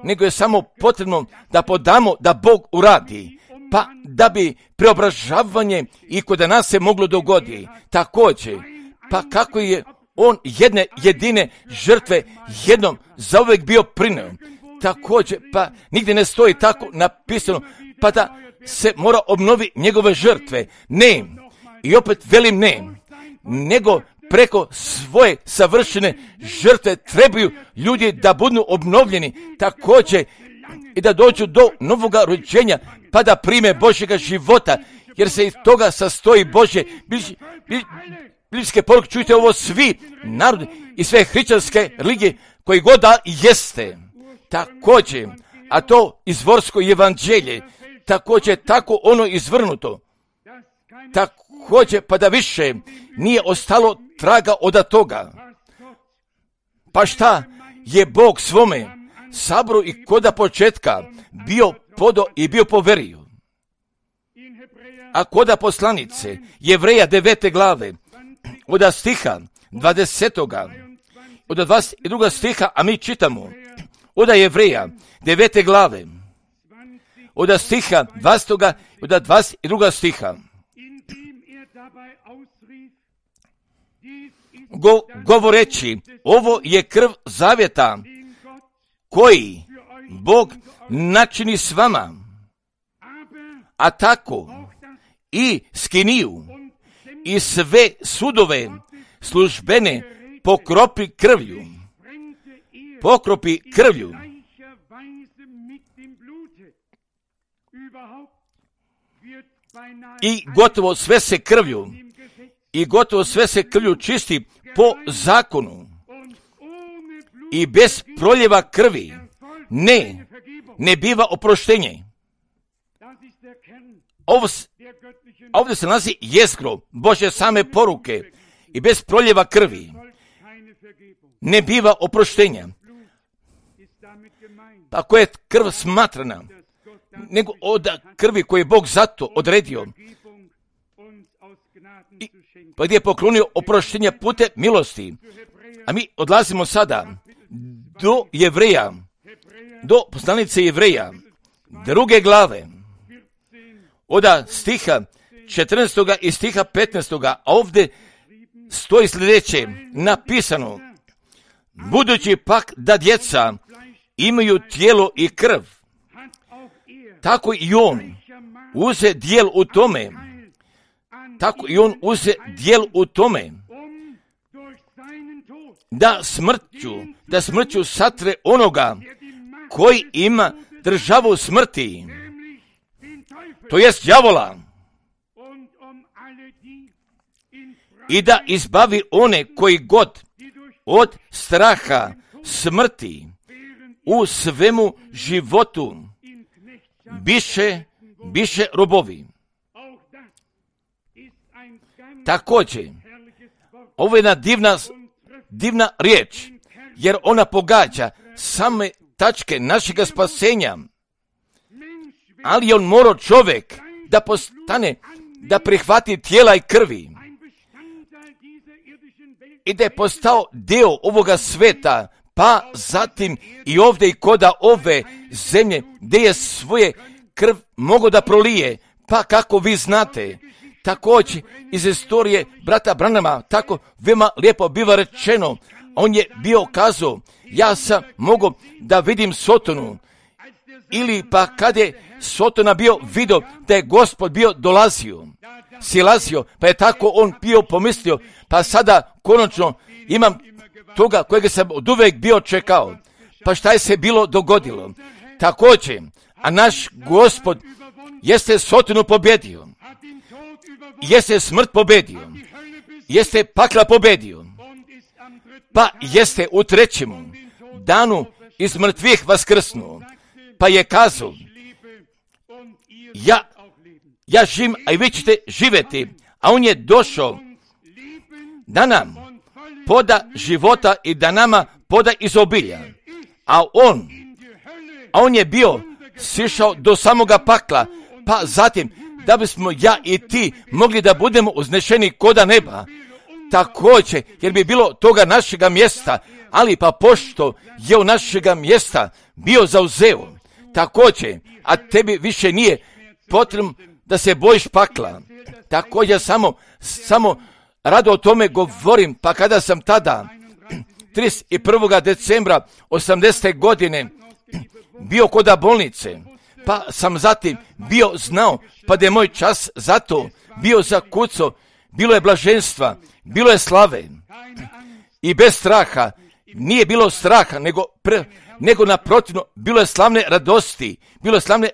[SPEAKER 1] nego je samo potrebno da podamo da Bog uradi, pa da bi preobražavanje i kod nas se moglo dogoditi. Također, pa kako je on jedne jedine žrtve jednom zauvijek bio prineo. Također, pa nigdje ne stoji tako napisano, pa da se mora obnovi njegove žrtve. Ne, i opet velim ne, nego preko svoje savršene žrtve trebaju ljudi da budu obnovljeni, također i da dođu do novoga rođenja, pa da prime Božjega života, jer se iz toga sastoji Božje biblijske poruke. Čujte ovo svi narodi i sve hrišćanske religije koji god da jeste. Također, a to izvorsko evanđelje, također tako ono izvrnuto. Također, pa da više nije ostalo traga od toga. Pa šta je Bog svome saboru i koda početka bio podo i bio poverio. A koda poslanice Jevreja 9. glave od stiha 20. od 22. stiha, a mi čitamo od Jevreja 9. glave od stiha 20. od 22. stiha. Govoreći, ovo je krv zavjeta koji Bog načini s vama, a tako i skiniju i sve sudove službene pokropi krvlju. I gotovo sve se krvlju čisti po zakonu. I bez proljeva krvi ne biva oproštenje. Ovdje se nalazi jezgro Božje same poruke. I bez proljeva krvi ne biva oproštenja. Pa ako je krv smatrana, nego od krvi koju je Bog zato odredio, pa gdje je poklonio oproštenja putem milosti. A mi odlazimo sada do Jevreja, do poslanice Jevreja, 2. glave, od stiha 14. i stiha 15. A ovdje stoji sljedeće napisano: budući pak da djeca imaju tijelo i krv, tako i on uze dijel u tome, da smrću satre onoga koji ima državu smrti, to jest đavola, i da izbavi one koji god od straha smrti u svemu životu biše robovi. Također, ovo je jedna divna riječ, jer ona pogađa same tačke našega spasenja. Ali je on morao čovjek da postane, da prihvati tijela i krvi i da je postao dio ovoga sveta pa zatim i ovdje i koda ove zemlje gdje je svoje krv mogao da prolije, pa kako vi znate, također iz istorije brata Branhama, tako veoma lijepo biva rečeno, on je bio kazao, ja sam mogao da vidim Sotonu, ili pa kad je Sotona bio vidio da je Gospod bio dolazio, silazio, pa je tako on bio pomislio, pa sada konačno imam toga kojega sam od uvek bio čekao. Pa šta je se bilo dogodilo? Također, a naš Gospod jeste Sotonu pobjedio, jeste smrt pobjedio, jeste pakla pobjedio, pa jeste u trećemu danu iz mrtvih vaskrsnuo, pa je kazao, ja živim, a i vi ćete živjeti, a on je došao da nam poda života i da nama poda izobilja, a on je bio sišao do samoga pakla, pa zatim da bismo ja i ti mogli da budemo uznešeni koda neba, također, jer bi bilo toga našega mjesta, ali pa pošto je u našega mjesta bio zauzeo, također, a tebi više nije potrebno da se bojiš pakla. Također samo rado o tome govorim, pa kada sam tada 31. decembra 80. godine bio koda bolnice, pa sam zatim bio znao, pa da je moj čas zato bio zakucao, bilo je blaženstva, bilo je slave i bez straha, nije bilo straha, nego naprotivno, bilo je slavne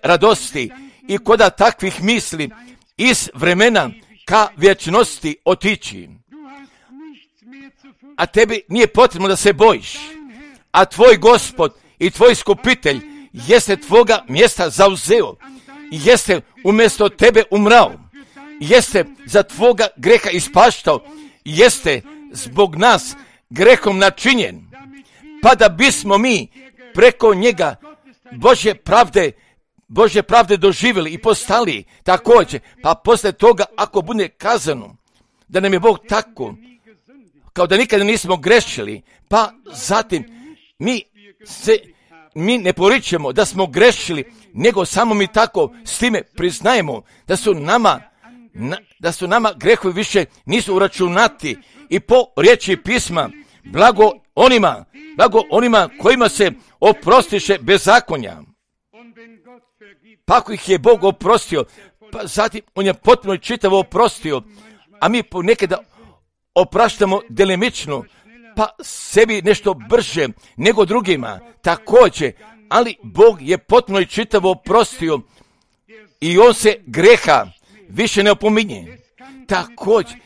[SPEAKER 1] radosti i koda takvih misli iz vremena ka vječnosti otići. A tebi nije potrebno da se bojiš, a tvoj Gospod i tvoj Iskupitelj jeste tvoga mjesta zauzeo, jeste umjesto tebe umrao, jeste za tvoga greha ispaštao, jeste zbog nas grehom načinjen, pa da bismo mi preko njega Božje pravde doživjeli i postali također, pa poslije toga ako bude kazano da nam je Bog tako, kao da nikada nismo grešili, pa zatim mi ne poričemo da smo grešili, nego samo mi tako s time priznajemo da su nama grehovi više nisu uračunati i po riječi pisma, blago onima kojima se oprostiše bezakonja. Pa ako ih je Bog oprostio, pa zatim on je potpuno čitavo oprostio, a mi ponekada opraštamo delimično, pa sebi nešto brže nego drugima, također, ali Bog je potpuno čitavo oprostio i on se greha više ne opominje. Također,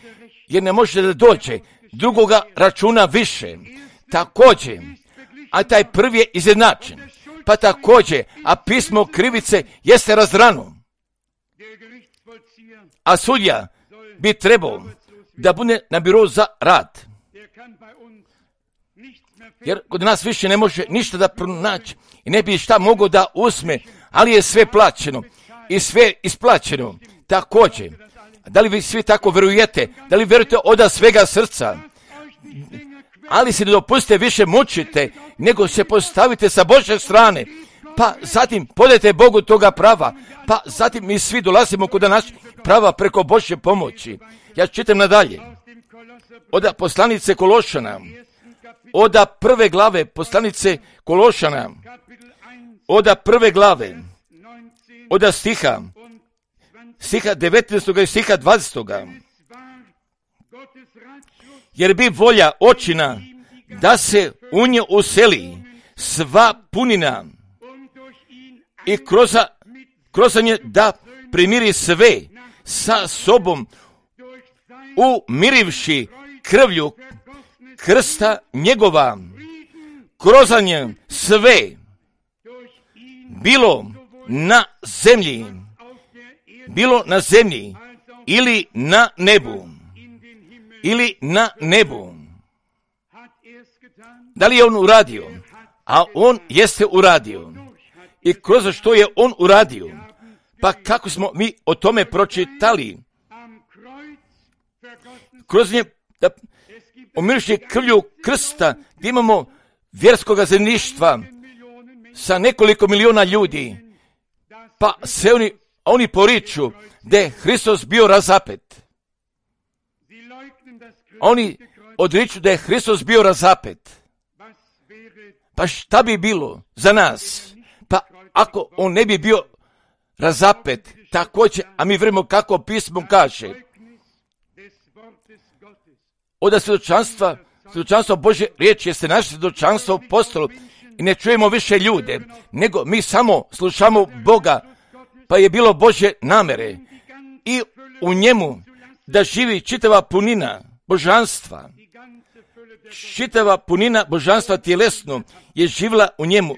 [SPEAKER 1] jer ne može da dođe drugoga računa više. Također, a taj prvi je izjednačen. Pa također, a pismo krivice jeste razrano. A sudja bi trebao da bude na birou za rad. Jer kod nas više ne može ništa da pronaći i ne bi šta mogao da uzme, ali je sve plaćeno i sve isplaćeno. Također, da li vi svi tako verujete? Da li verujete od svega srca? Ali se ne dopustite više mučite, nego se postavite sa Božje strane, pa zatim podajte Bogu toga prava, pa zatim mi svi dolazimo kod naših prava preko Božje pomoći. Ja čitam nadalje. Od poslanice Kološana, od prve glave poslanice Kološana, od prve glave, od stiha 19. i stiha 20. Jer bi volja očina da se u nje useli sva punina i kroz nje da primiri sve sa sobom, umirivši krvlju krsta njegova, kroz nje sve, bilo na zemlji ili na nebu. Da li je on uradio? A on jeste uradio. I kroz što je on uradio? Pa kako smo mi o tome pročitali? Kroz nje, da umirši krvlju krsta, gdje imamo vjerskoga zemljištva sa nekoliko miliona ljudi, pa se oni poriču da je Hristos bio razapet. Oni odriču da je Hristos bio razapet. Pa šta bi bilo za nas? Pa ako on ne bi bio razapet, također, a mi vjerujemo kako pismo kaže, od svjedočanstva Božje riječi jeste naše svjedočanstvo postalo i ne čujemo više ljude, nego mi samo slušamo Boga, pa je bilo Božje namere i u njemu da živi čitava punina božanstva. Čitava punina božanstva tjelesno je živjela u njemu.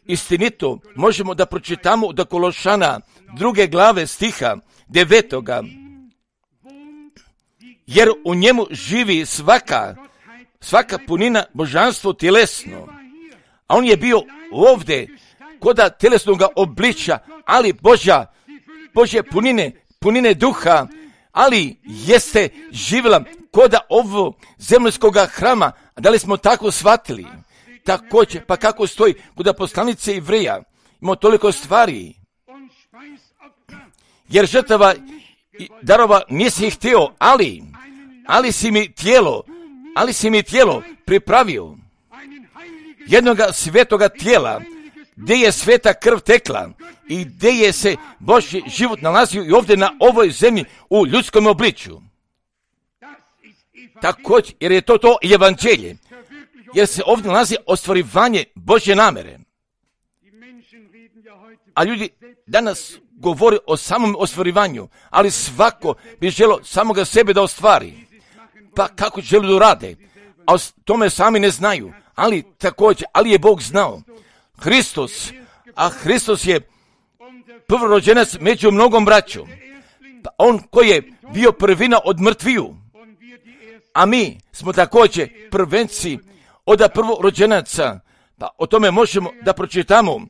[SPEAKER 1] Istinito možemo da pročitamo do Kološana 2. glave stiha 9. Jer u njemu živi svaka punina božanstvo tjelesno. A on je bio ovdje koda tjelesnoga obličja, ali Božje punine duha, ali jeste živjela koda ovo zemljskoga hrama. Da li smo tako shvatili? Također, pa kako stoji kod poslanice Ivreja, imamo toliko stvari. Jer žrtava darova nisi ih htio, ali si mi tijelo pripravio. Jednoga svetoga tijela, gdje je sveta krv tekla i gdje je se Božji život nalazio i ovdje na ovoj zemlji u ljudskom obličju. Također, jer je to evanđelje, jer se ovdje nalazi ostvarivanje Božje namere. A ljudi danas govore o samom ostvarivanju, ali svako bi želio samoga sebe da ostvari. Pa kako žele da rade? A o tome sami ne znaju. Ali je Bog znao. Hristos je prvorođenac među mnogom braćom. Pa on koji je bio prvina od mrtviju. A mi smo također prvenci od prvorođenaca. Pa o tome možemo da pročitamo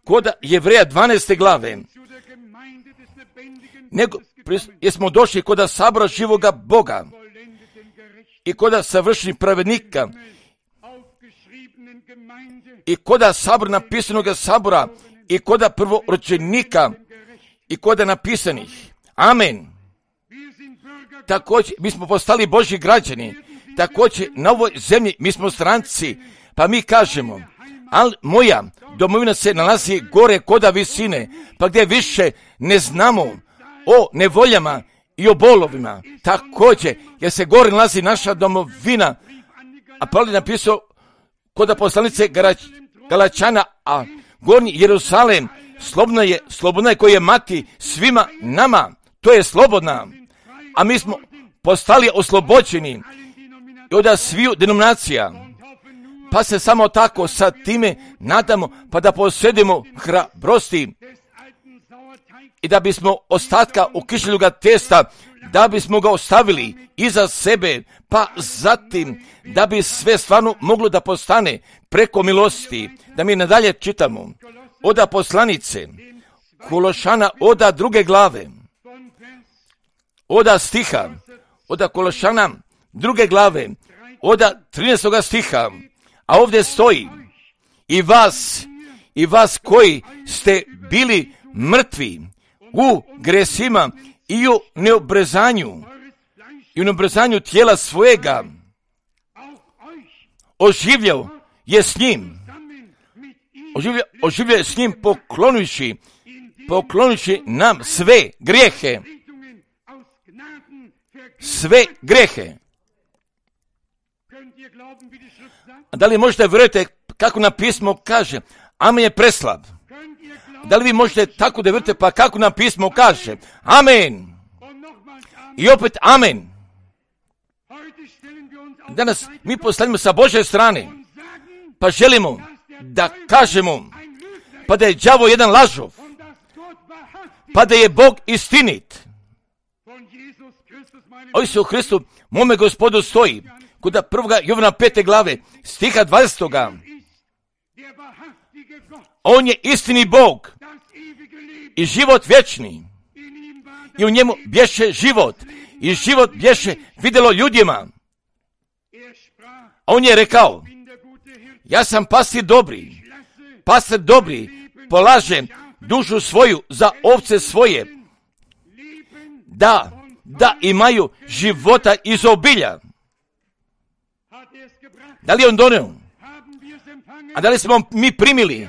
[SPEAKER 1] kod Jevreja 12. glave. Jer smo došli kod sabora živoga Boga i kod savršenih pravednika i kod sabora napisanog sabora i kod prvorođenika i kod napisanih. Amen. Također, mi smo postali Božji građani. Također, na ovoj zemlji mi smo stranci, pa mi kažemo, ali moja domovina se nalazi gore koda visine, pa gdje više ne znamo o nevoljama i o bolovima. Također, jer se gore nalazi naša domovina, a Pavle je napisao kod poslanice Galačana, a gornji Jerusalem slobodna je koji je mati svima nama, to je slobodna, a mi smo postali oslobođeni od sviju denominacija, pa se samo tako sa time nadamo, pa da posjedimo hrabrosti i da bismo ostatka ukišljenog testa, da bismo ga ostavili iza sebe, pa zatim da bi sve stvarno moglo da postane preko milosti. Da mi nadalje čitamo oda poslanice Kološana oda 2. glave, oda stiha, oda Kološana 2. glave, oda 13. stiha, a ovdje stoji i vas koji ste bili mrtvi u gresima i u neobrezanju tijela svojega, oživljao je s njim poklonivši nam sve grijehe. A da li možete vjerujete kako na pismo kaže? Amen je preslab. Da li vi možete tako da vjerujete pa kako na pismo kaže? Amen. I opet amen. Danas mi postavljamo sa Božje strane, pa želimo da kažemo pa da je đavo jedan lažov, pa da je Bog istinit. O Isusu Hristu, mome Gospodu stoji kod 1. Jovana 5. glave, stiha 20. On je istini Bog i život vječni. I u njemu bješe život. I život bješe vidjelo ljudima. A on je rekao, Ja sam pastir dobri. Pastir dobri polaže dušu svoju za ovce svoje, da imaju života iz obilja. Da li je on doneo? A da li smo mi primili?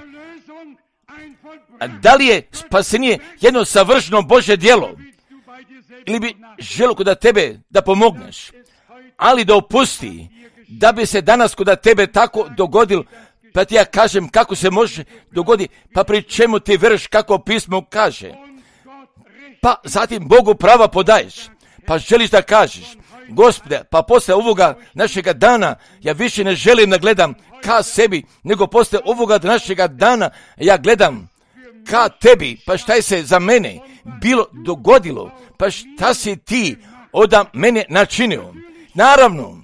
[SPEAKER 1] A da li je spasenje jedno savršeno Božje djelo? Ili bi želio kod tebe da pomogneš, ali da opusti, da bi se danas kod tebe tako dogodilo, pa ti ja kažem kako se može dogoditi, pa pri čemu ti vjeruješ kako pismo kaže. Pa zatim Bogu prava podaješ, pa želiš da kažeš, Gospode, pa posle ovoga našega dana, ja više ne želim da gledam ka sebi, nego posle ovoga našega dana, ja gledam ka tebi, pa šta je se za mene bilo dogodilo, pa šta si ti od mene načinio. Naravno,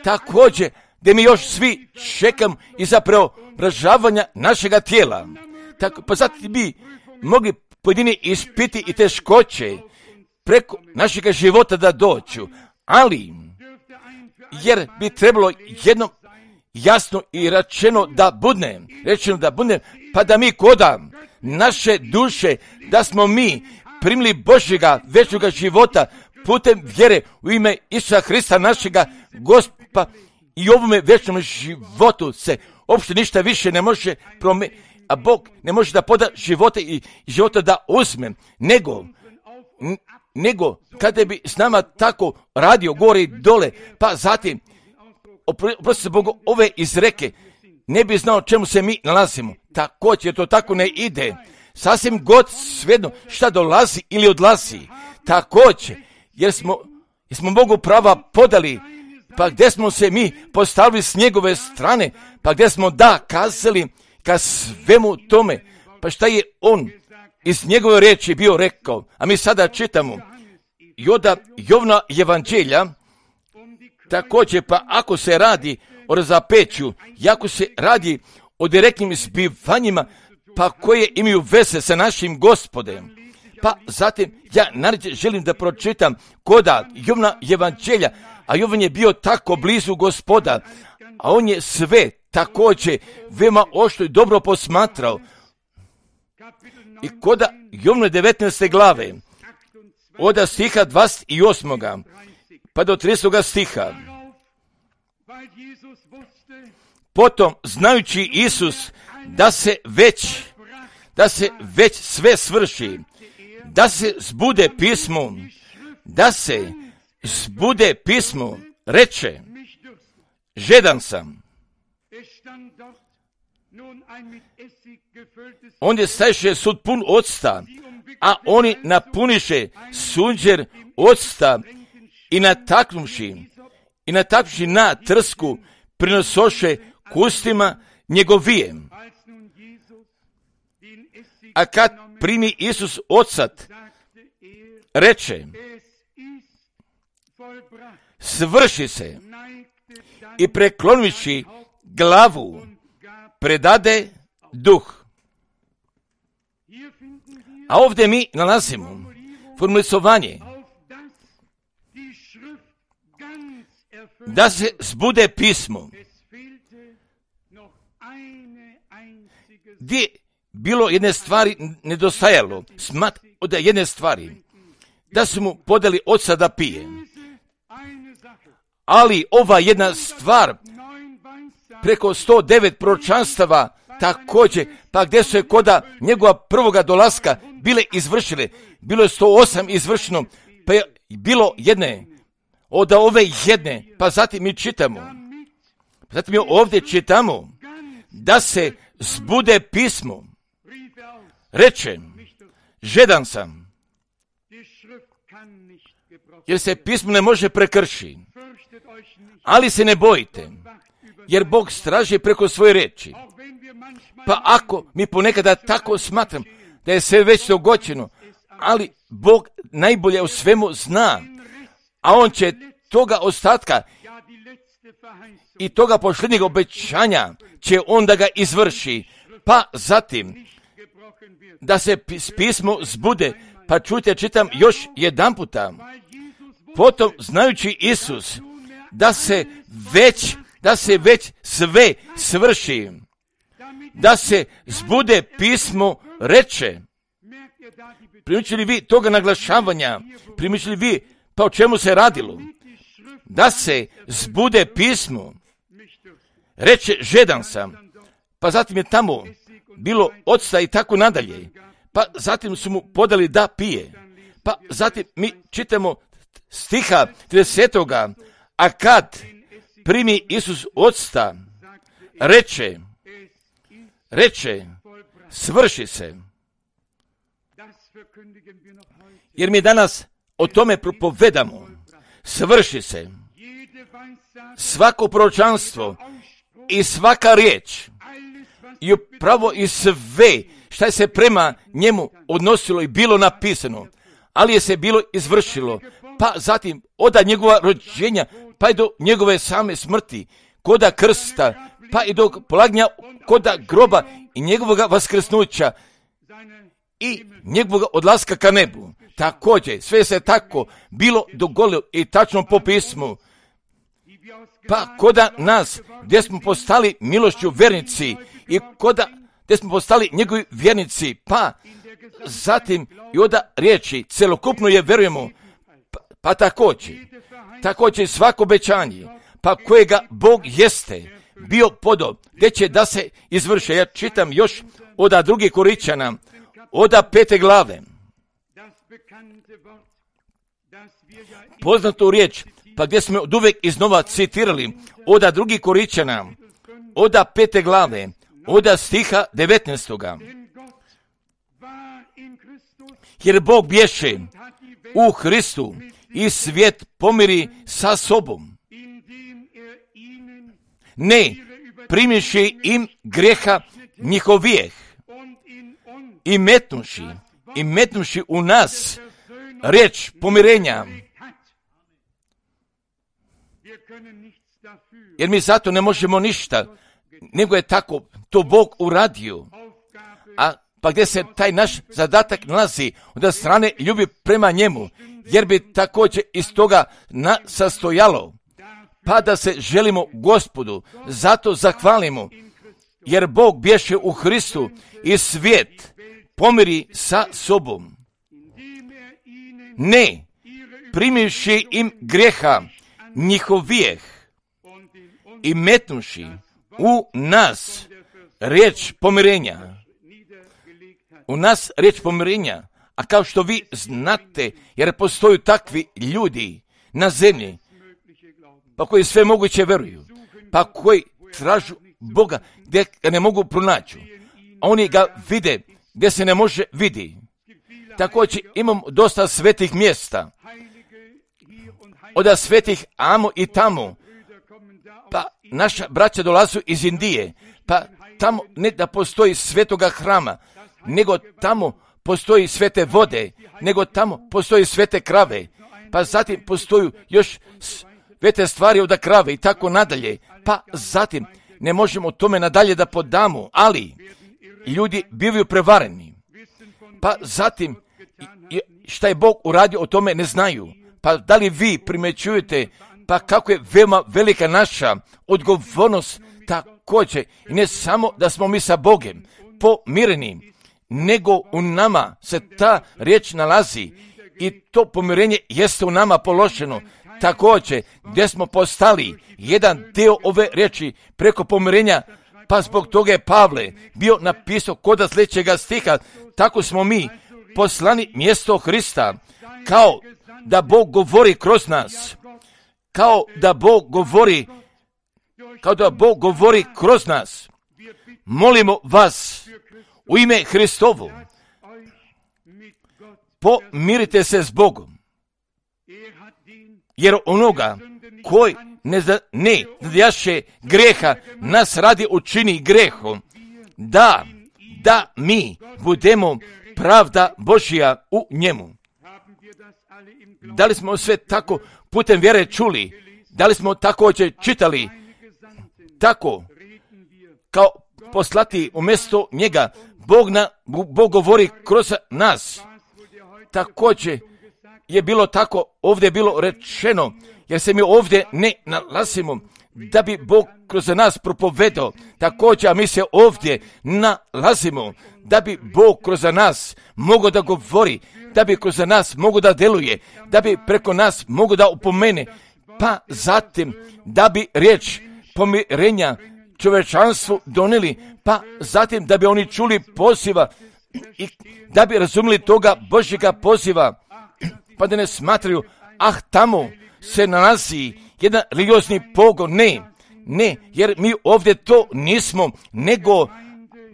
[SPEAKER 1] također, gdje mi još svi čekam iza preobražavanja našega tijela. Tako, pa zatim bi mogli pojedini ispiti i teškoće preko našega života da doću, ali jer bi trebalo jedno jasno i rečeno da budne, pa da mi koda naše duše, da smo mi primili Božjega večnoga života putem vjere u ime Isusa Hrista našega Gospoda, i ovome večnom životu se uopšte ništa više ne može promijeniti, a Bog ne može da poda života i života da uzme, nego kada bi s nama tako radio gore i dole, pa zatim, oprosti se Bogu, ove izreke, ne bi znao čemu se mi nalazimo. Također to tako ne ide. Sasvim god svejedno šta dolazi ili odlazi. Također, jer smo Bogu prava podali, pa gdje smo se mi postavili s njegove strane, pa gdje smo da kazali ka svemu tome, pa šta je on iz njegove riječi bio rekao. A mi sada čitamo Jovna evanđelja, također, pa ako se radi o razapeću, i ako se radi o direktnim zbivanjima, pa koje imaju veze sa našim Gospodem, pa zatim ja naravno želim da pročitam koda Jovna evanđelja, a Jovan je bio tako blizu Gospoda, a on je sve također veoma oštro i dobro posmatrao. I koda Jovne 19. glave, od stiha 28. pa do 30. stiha. Potom, znajući Isus da se već sve svrši, da se zbude pismo, reče, žedan sam. Ondje staješe sud pun octa, a oni napuniše sunđer octa i nataknuši na trsku prinosoše kustima njegovijem. A kad primi Isus ocat, reče, svrši se, i preklonivši glavu predade duh. A ovdje mi nalazimo formulisovanje da se zbude pismo, gdje bilo jedne stvari nedostajalo, od jedne stvari, da su mu podali oca da pije. Ali ova jedna stvar, preko 109 proročanstava također, pa gdje su je koda njegova prvoga dolaska bile izvršile, bilo je 108 izvršeno, pa je bilo jedne, od ove jedne, pa zatim mi ovdje čitamo, da se zbude pismo, reče, žedan sam, jer se pismo ne može prekršiti, ali se ne bojite, jer Bog straži preko svoje riječi. Pa ako mi ponekada tako smatram da je sve već dogođeno, ali Bog najbolje u svemu zna, a on će toga ostatka i toga posljednjeg obećanja će on da ga izvrši. Pa zatim da se pismo zbude, pa čujte, čitam još jedan puta. Potom, znajući Isus da se da se već sve svrši, da se zbude pismo reče. Primičili vi toga naglašavanja? Primičili vi pa o čemu se radilo? Da se zbude pismo. Reče, žedan sam. Pa zatim je tamo bilo octa i tako nadalje. Pa zatim su mu podali da pije. Pa zatim mi čitamo stiha 30. A kad primi Isus octa, reče, svrši se. Jer mi danas o tome propovedamo. Svrši se. Svako proročanstvo i svaka riječ i upravo i sve šta je se prema njemu odnosilo i bilo napisano, ali je se bilo izvršilo, pa zatim od njegova rođenja, pa i do njegove same smrti, koda krsta, pa i do polaganja koda groba i njegovog vaskrsnuća i njegovog odlaska ka nebu. Također, sve se tako bilo dogodilo i tačno po pismu. Pa koda nas, gdje smo postali milošću vjernici i koda gdje smo postali njegovi vjernici, pa zatim i oda riječi, celokupno je vjerujemo, pa također svako obećanje, pa kojega Bog jeste bio podo, gdje će da se izvrše. Ja čitam još oda 2. Korinćana, oda 5. glave. Poznatu riječ, pa gdje smo od uvijek iznova citirali, oda 2. Korinćana, oda 5. glave, oda stiha 19. Jer Bog bješe u Hristu i svijet pomiri sa sobom, ne primivši im greha njihovijeh i metnuši u nas riječ pomirenja. Jer mi zato ne možemo ništa, nego je tako to Bog uradio. A pa gdje se taj naš zadatak nalazi od strane ljubi prema njemu, jer bi također iz toga sastojalo, pa da se želimo Gospodu, zato zahvalimo, jer Bog bješe u Hristu i svijet pomiri sa sobom, ne primivši im greha njihovijeh i metnuši u nas riječ pomirenja. U nas riječ pomirenja, a kao što vi znate, jer postoju takvi ljudi na zemlji, pa koji sve moguće veruju, pa koji tražu Boga gdje ga ne mogu pronaći. Oni ga vide gdje se ne može vidi. Također imam dosta svetih mjesta, od svetih amo i tamo, pa naša braća dolazu iz Indije, pa tamo ne da postoji svetoga hrama, nego tamo postoji svete vode, nego tamo postoji svete krave, pa zatim postoju još svete stvari od krave i tako nadalje, pa zatim ne možemo tome nadalje da podamo, ali ljudi bivaju prevareni, pa zatim šta je Bog uradio o tome ne znaju, pa da li vi primećujete pa kako je veoma velika naša odgovornost također, i ne samo da smo mi sa Bogom pomireni, nego u nama se ta riječ nalazi i to pomirenje jeste u nama položeno. Također, gdje smo postali jedan dio ove riječi preko pomirenja, pa zbog toga je Pavle bio napisao kod sljedećega stiha, tako smo mi poslani mjesto Hrista, kao da Bog govori kroz nas, kao da Bog govori kroz nas. Molimo vas u ime Hristovo, pomirite se s Bogom, jer onoga koji ne znadjaše greha nas radi učini grehom, da mi budemo pravda Božja u njemu. Da li smo sve tako putem vjere čuli? Da li smo također čitali? Tako, kao poslati umjesto njega, Bog govori kroz nas. Također je bilo tako, ovdje je bilo rečeno, jer se mi ovdje ne nalazimo, da bi Bog kroz nas propovedao. Također, a mi se ovdje nalazimo da bi Bog kroz nas mogao da govori, da bi kroz nas mogao da deluje, da bi preko nas mogao da upomene, pa zatim da bi riječ pomirenja čovečanstvu donijeli, pa zatim da bi oni čuli poziva i da bi razumjeli toga Božjega poziva, pa da ne smatraju, tamo se nalazi jedan religiozni pogon. Ne, jer mi ovdje to nismo, nego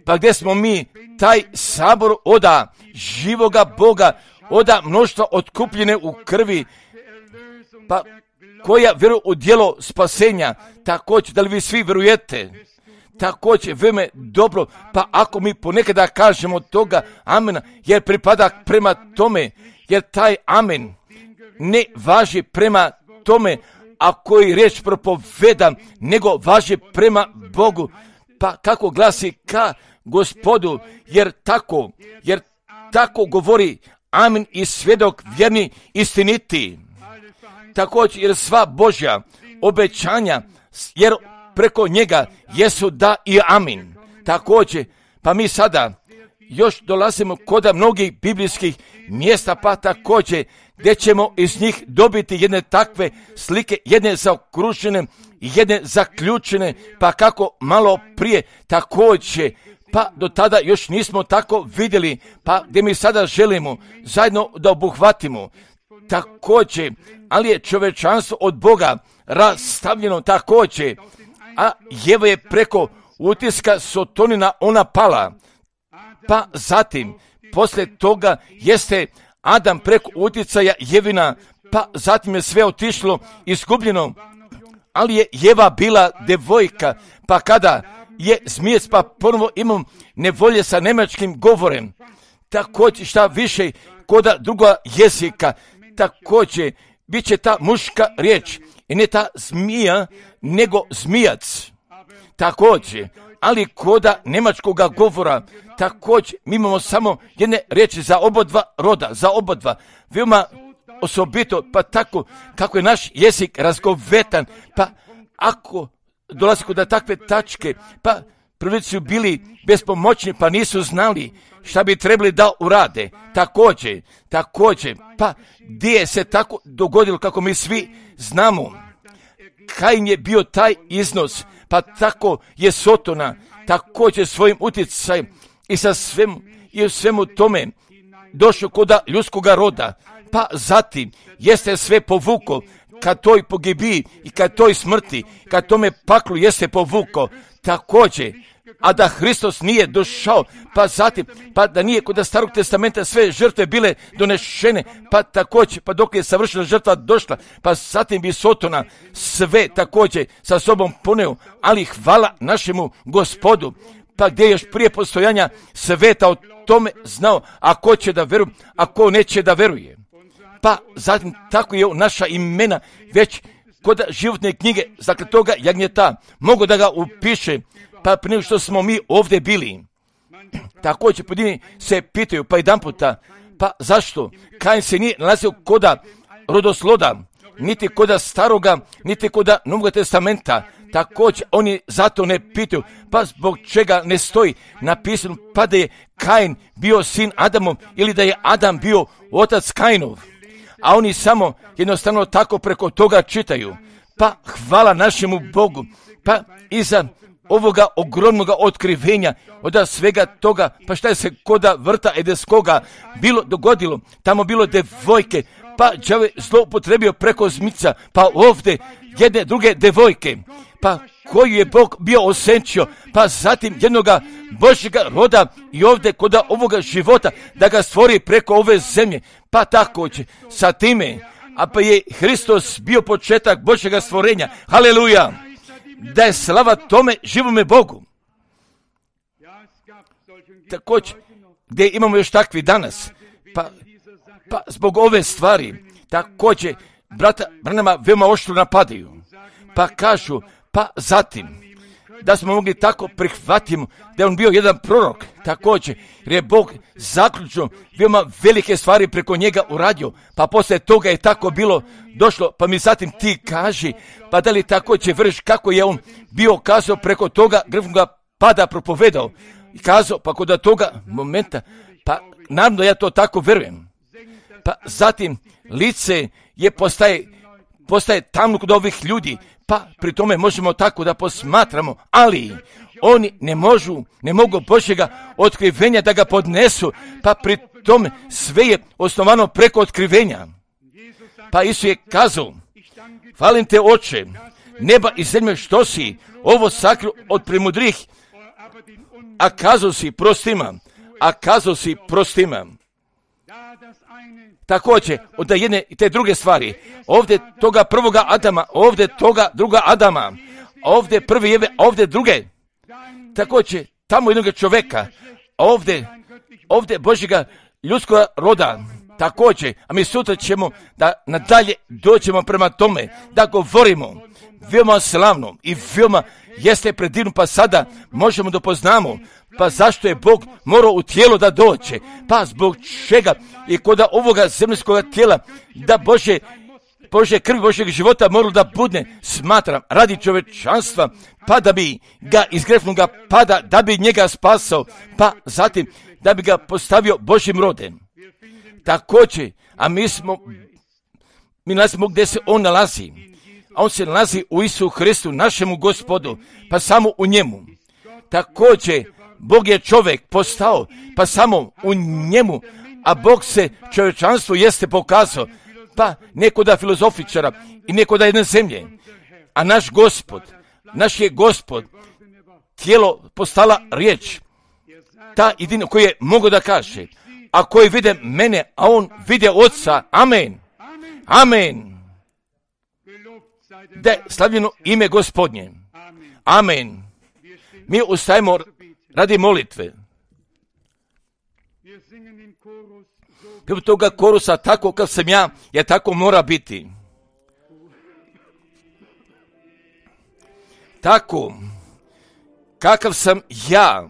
[SPEAKER 1] pa gdje smo mi taj sabor oda živoga Boga, oda mnoštva otkupljene u krvi, pa koja vjeruje u djelo spasenja. Također, da li vi svi vjerujete? Također, vrijeme dobro, pa ako mi ponekada kažemo toga amena, jer pripada prema tome, jer taj amen ne važi prema tome, a koji riječ propoveda, nego važi prema Bogu. Pa kako glasi ka Gospodu, jer tako govori amen i svjedok vjerni istiniti. Također, jer sva Božja obećanja, jer preko njega jesu da i amin. Također, pa mi sada još dolazimo kod mnogih biblijskih mjesta, pa također gdje ćemo iz njih dobiti jedne takve slike, jedne zaokružene, jedne zaključene, pa kako malo prije također, pa do tada još nismo tako vidjeli, pa gdje mi sada želimo zajedno da obuhvatimo. Također, ali je čovečanstvo od Boga rastavljeno također, a Jeva je preko utiska Sotonina ona pala. Pa zatim, poslije toga jeste Adam preko utjecaja Jevina, pa zatim je sve otišlo izgubljeno, ali je Jeva bila devojka, pa kada je zmijec, pa ponovo imam nevolje sa njemačkim govorem, također šta više koda druga jezika, također bit će ta muška riječ i ne ta zmija, nego zmijac. Također, ali koda njemačkoga govora, također mi imamo samo jedne riječi za obodva roda, za obodva. Veoma osobito, pa tako kako je naš jezik razgovetan, pa ako dolazi kod takve tačke, pa prvi su bili bespomoćni, pa nisu znali šta bi trebali da urade. Također, pa gdje se tako dogodilo kako mi svi znamo. Kain je bio taj iznos, pa tako je Sotona također svojim utjecajem i sa svemu tome došao kod ljudskoga roda, pa zatim jeste sve povuko ka toj pogibiji i ka toj smrti, ka tome paklu jeste povuko također, a da Hristos nije došao, pa zatim, pa da nije kod Starog testamenta sve žrtve bile donešene, pa također, pa dok je savršena žrtva došla, pa zatim bi Sotona sve također sa sobom poneo, ali hvala našemu Gospodu, pa gdje još prije postojanja sveta o tome znao, a ko će da veruje, a ko neće da veruje. Pa zatim tako je naša imena već kod životne knjige zakletoga jagnjeta mogu da ga upiše, pa prije nego što smo mi ovdje bili. Također pojedini se pitaju pa jedan puta, pa zašto Kain se nije nalazio koda rodosloda, niti koda staroga, niti koda Novog testamenta. Također oni zato ne pitaju, pa zbog čega ne stoji napisano pa da je Kain bio sin Adamov ili da je Adam bio otac Kainov. A oni samo jednostavno tako preko toga čitaju. Pa hvala našemu Bogu, pa iza ovoga ogromnoga otkrivenja, od svega toga, pa šta je se koda vrta edeskoga bilo dogodilo, tamo bilo devojke, pa đavo je zloupotrebio preko zmica, pa ovdje jedne druge devojke, pa koju je Bog bio osenčio, pa zatim jednoga Božjega roda i ovdje koda ovoga života da ga stvori preko ove zemlje, pa također sa time, a pa je Hristos bio početak Božjega stvorenja, haleluja, da je slava tome živome Bogu. Također, gdje imamo još takvi danas, pa zbog ove stvari, također, brata Branhama veoma oštro napadaju, pa kažu, pa zatim, da smo mogli tako prihvatiti da je on bio jedan prorok također, jer je Bog zaključno veoma velike stvari preko njega uradio, pa poslije toga je tako bilo došlo, pa mi zatim ti kaži, pa da li također vrš kako je on bio kazao preko toga grfnoga pada propovedao i kazao, pa kod toga momenta, pa naravno ja to tako vjerujem, pa zatim lice je postaje tamno kod ovih ljudi, pa pri tome možemo tako da posmatramo, ali oni ne mogu Božjega otkrivenja da ga podnesu, pa pri tome sve je osnovano preko otkrivenja. Pa Isus je kazao, hvalim te Oče, neba i zemlje što si ovo sakrio od premudrih, a kazao si prostima. Također, od jedne i te druge stvari, ovdje toga prvoga Adama, ovdje toga druga Adama, ovdje prvi Jeve, ovdje druge. Također, tamo jednog čovjeka, ovdje Božjega ljudskog roda, također, a mi sutra ćemo da nadalje dođemo prema tome, da govorimo veoma slavno i veoma jeste predivno, pa sada možemo da poznamo, pa zašto je Bog morao u tijelo da dođe, pa zbog čega i kod ovoga zemljskog tijela da Božje krvi Božjeg života moralo da budne, smatram, radi čovečanstva, pa da bi ga iz grefnoga pada, da bi njega spasao, pa zatim da bi ga postavio Božjim rodem. Također, a mi nalazimo gdje se on nalazi, a on se nalazi u Isusu Hristu, našemu Gospodu, pa samo u njemu. Također, Bog je čovjek postao, pa samo u njemu, a Bog se čovječanstvu jeste pokazao, pa nekoda filozofičara i nekoda jedne zemlje, a naš je Gospod, tijelo postala riječ, ta jedina koji je mogo da kaže, a koji vide mene, a on vide Otca, amen, amen, da je slavljeno ime Gospodnje, amen. Mi ustajemo radi molitve. Pjev toga korusa, tako kao sam ja, jer tako mora biti. Tako, kakav sam ja,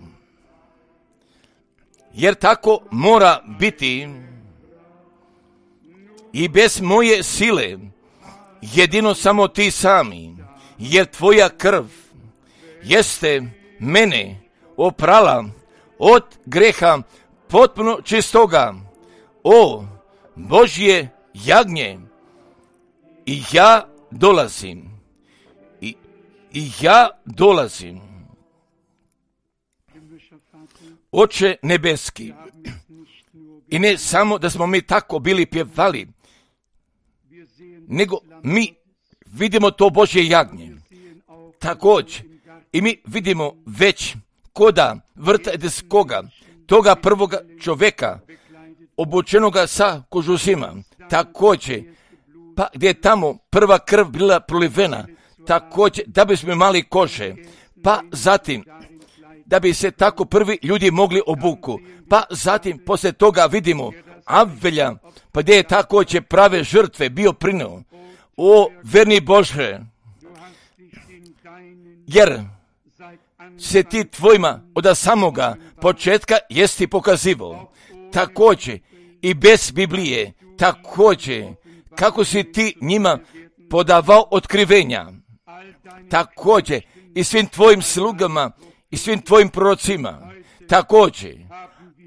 [SPEAKER 1] jer tako mora biti i bez moje sile, jedino samo ti sami, jer tvoja krv jeste mene oprala od greha potpuno čistoga. O Božje jagnje, i ja dolazim, i ja dolazim. Oče nebeski, i ne samo da smo mi tako bili pjevali, nego mi vidimo to Božje jagnje. Također, i mi vidimo već koda vrta edeskoga, toga prvoga čovjeka, obučenoga sa kožusima, također, pa gdje je tamo prva krv bila prolivena, također, da bismo imali kože, pa zatim, da bi se tako prvi ljudi mogli obuku, pa zatim, poslije toga vidimo Abelja, pa gdje je također prave žrtve bio prineo. O, verni Bože, jer se ti tvojima od samoga početka jesti pokazivo. Također i bez Biblije, također kako si ti njima podavao otkrivenja, također i svim tvojim slugama i svim tvojim prorocima, također.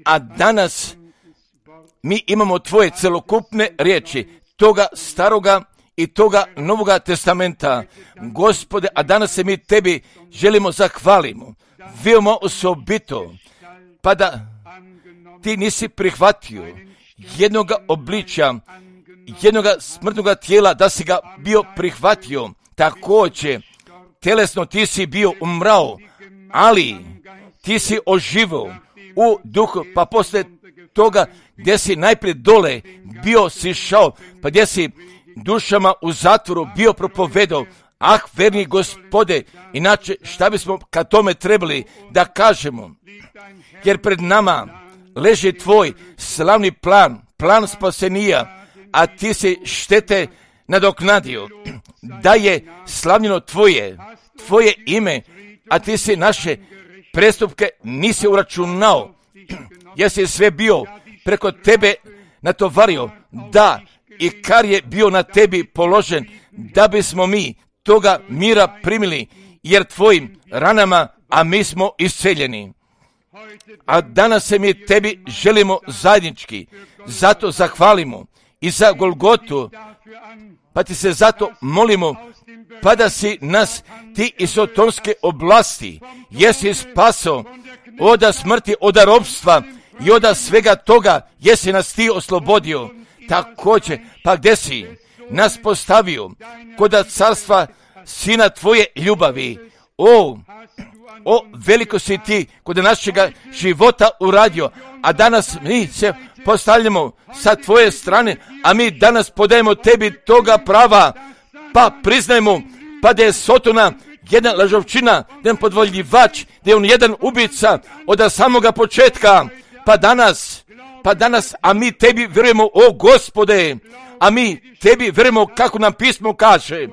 [SPEAKER 1] A danas mi imamo tvoje celokupne riječi, toga staroga i toga Novoga testamenta, Gospode, a danas se mi tebi želimo zahvalimo, veoma osobito, pa da ti nisi prihvatio jednoga obličja, jednoga smrtnoga tijela, da si ga bio prihvatio, također, telesno ti si bio umrao, ali ti si oživio u duhu, pa poslije toga gdje si najprije dole bio sišao, pa gdje si dušama u zatvoru bio propovedao, ah, verni Gospode, inače šta bismo kad tome trebali da kažemo, jer pred nama leži tvoj slavni plan spasenija, a ti si štete nadoknadio, da je slavljeno tvoje ime a ti si naše prestupke nisi uračunao, jer si sve bio preko tebe natovario, da i kar je bio na tebi položen, da bismo mi toga mira primili, jer tvojim ranama, a mi smo isceljeni. A danas se mi tebi želimo zajednički, zato zahvalimo i za Golgotu, pa ti se zato molimo, pa da si nas ti iz sotonske oblasti, jesi spaso oda smrti, oda ropstva i oda svega toga, jesi nas ti oslobodio. Također, pa gdje si nas postavio koda carstva sina tvoje ljubavi. O, veliko si ti kod našega života uradio, a danas mi se postavljamo sa tvoje strane, a mi danas podajemo tebi toga prava, pa priznajmo, pa da je Sotona jedna lažovčina, jedan podvoljivač, da je on jedan ubica od samoga početka, pa danas, a mi tebi vjerujemo, o Gospode, a mi tebi vjerujemo kako nam pismo kaže,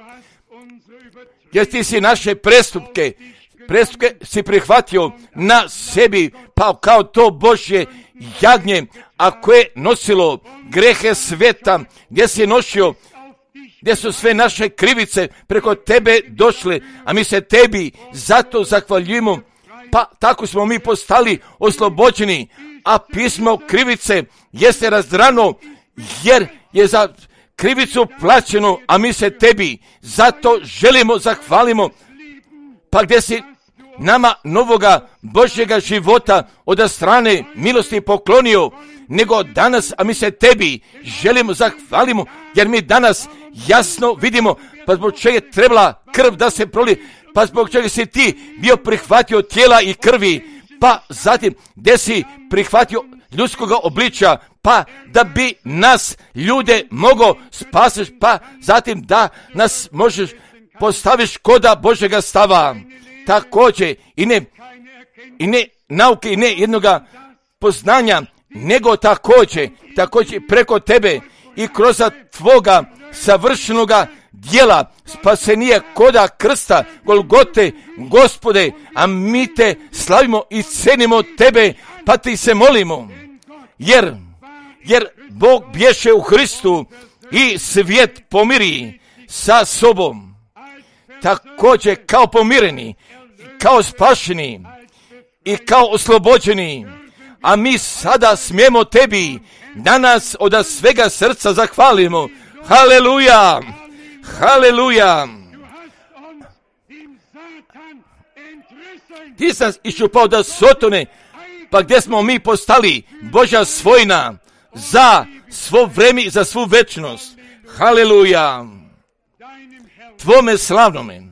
[SPEAKER 1] jer ti si naše prestupke si prihvatio na sebi, pa kao to Božje jagnje, a koje nosilo grehe sveta, gdje si nosio, gdje su sve naše krivice preko tebe došle, a mi se tebi zato zahvaljujemo, pa tako smo mi postali oslobođeni, a pismo krivice jeste razdrano, jer je za krivicu plaćeno, a mi se tebi zato želimo, zahvalimo, pa gdje si nama novoga Božjega života od strane milosti poklonio, nego danas, a mi se tebi želimo, zahvalimo, jer mi danas jasno vidimo, pa zbog čega je trebala krv da se proli, pa zbog čega si ti bio prihvatio tijela i krvi, pa zatim gdje si prihvatio ljudskoga obličja, pa da bi nas ljude mogo spasiš, pa zatim da nas možeš postaviš koda Božjega stava. Također i ne nauke i ne jednoga poznanja, nego također preko tebe i kroz tvoga savršenoga djela spasenija koda krsta Golgote, Gospode, a mi te slavimo i cenimo tebe, pa ti se molimo, jer Bog bješe u Hristu i svijet pomiri sa sobom, također kao pomireni, kao spašeni i kao oslobođeni, a mi sada smijemo tebi danas od svega srca zahvalimo. Haleluja, haleluja. Ti si nas iščupao da Sotone, pa gdje smo mi postali Božja svojina za svo vreme i za svu večnost. Haleluja. Tvome slavnome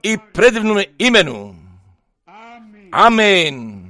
[SPEAKER 1] i predivnome imenu. Amen.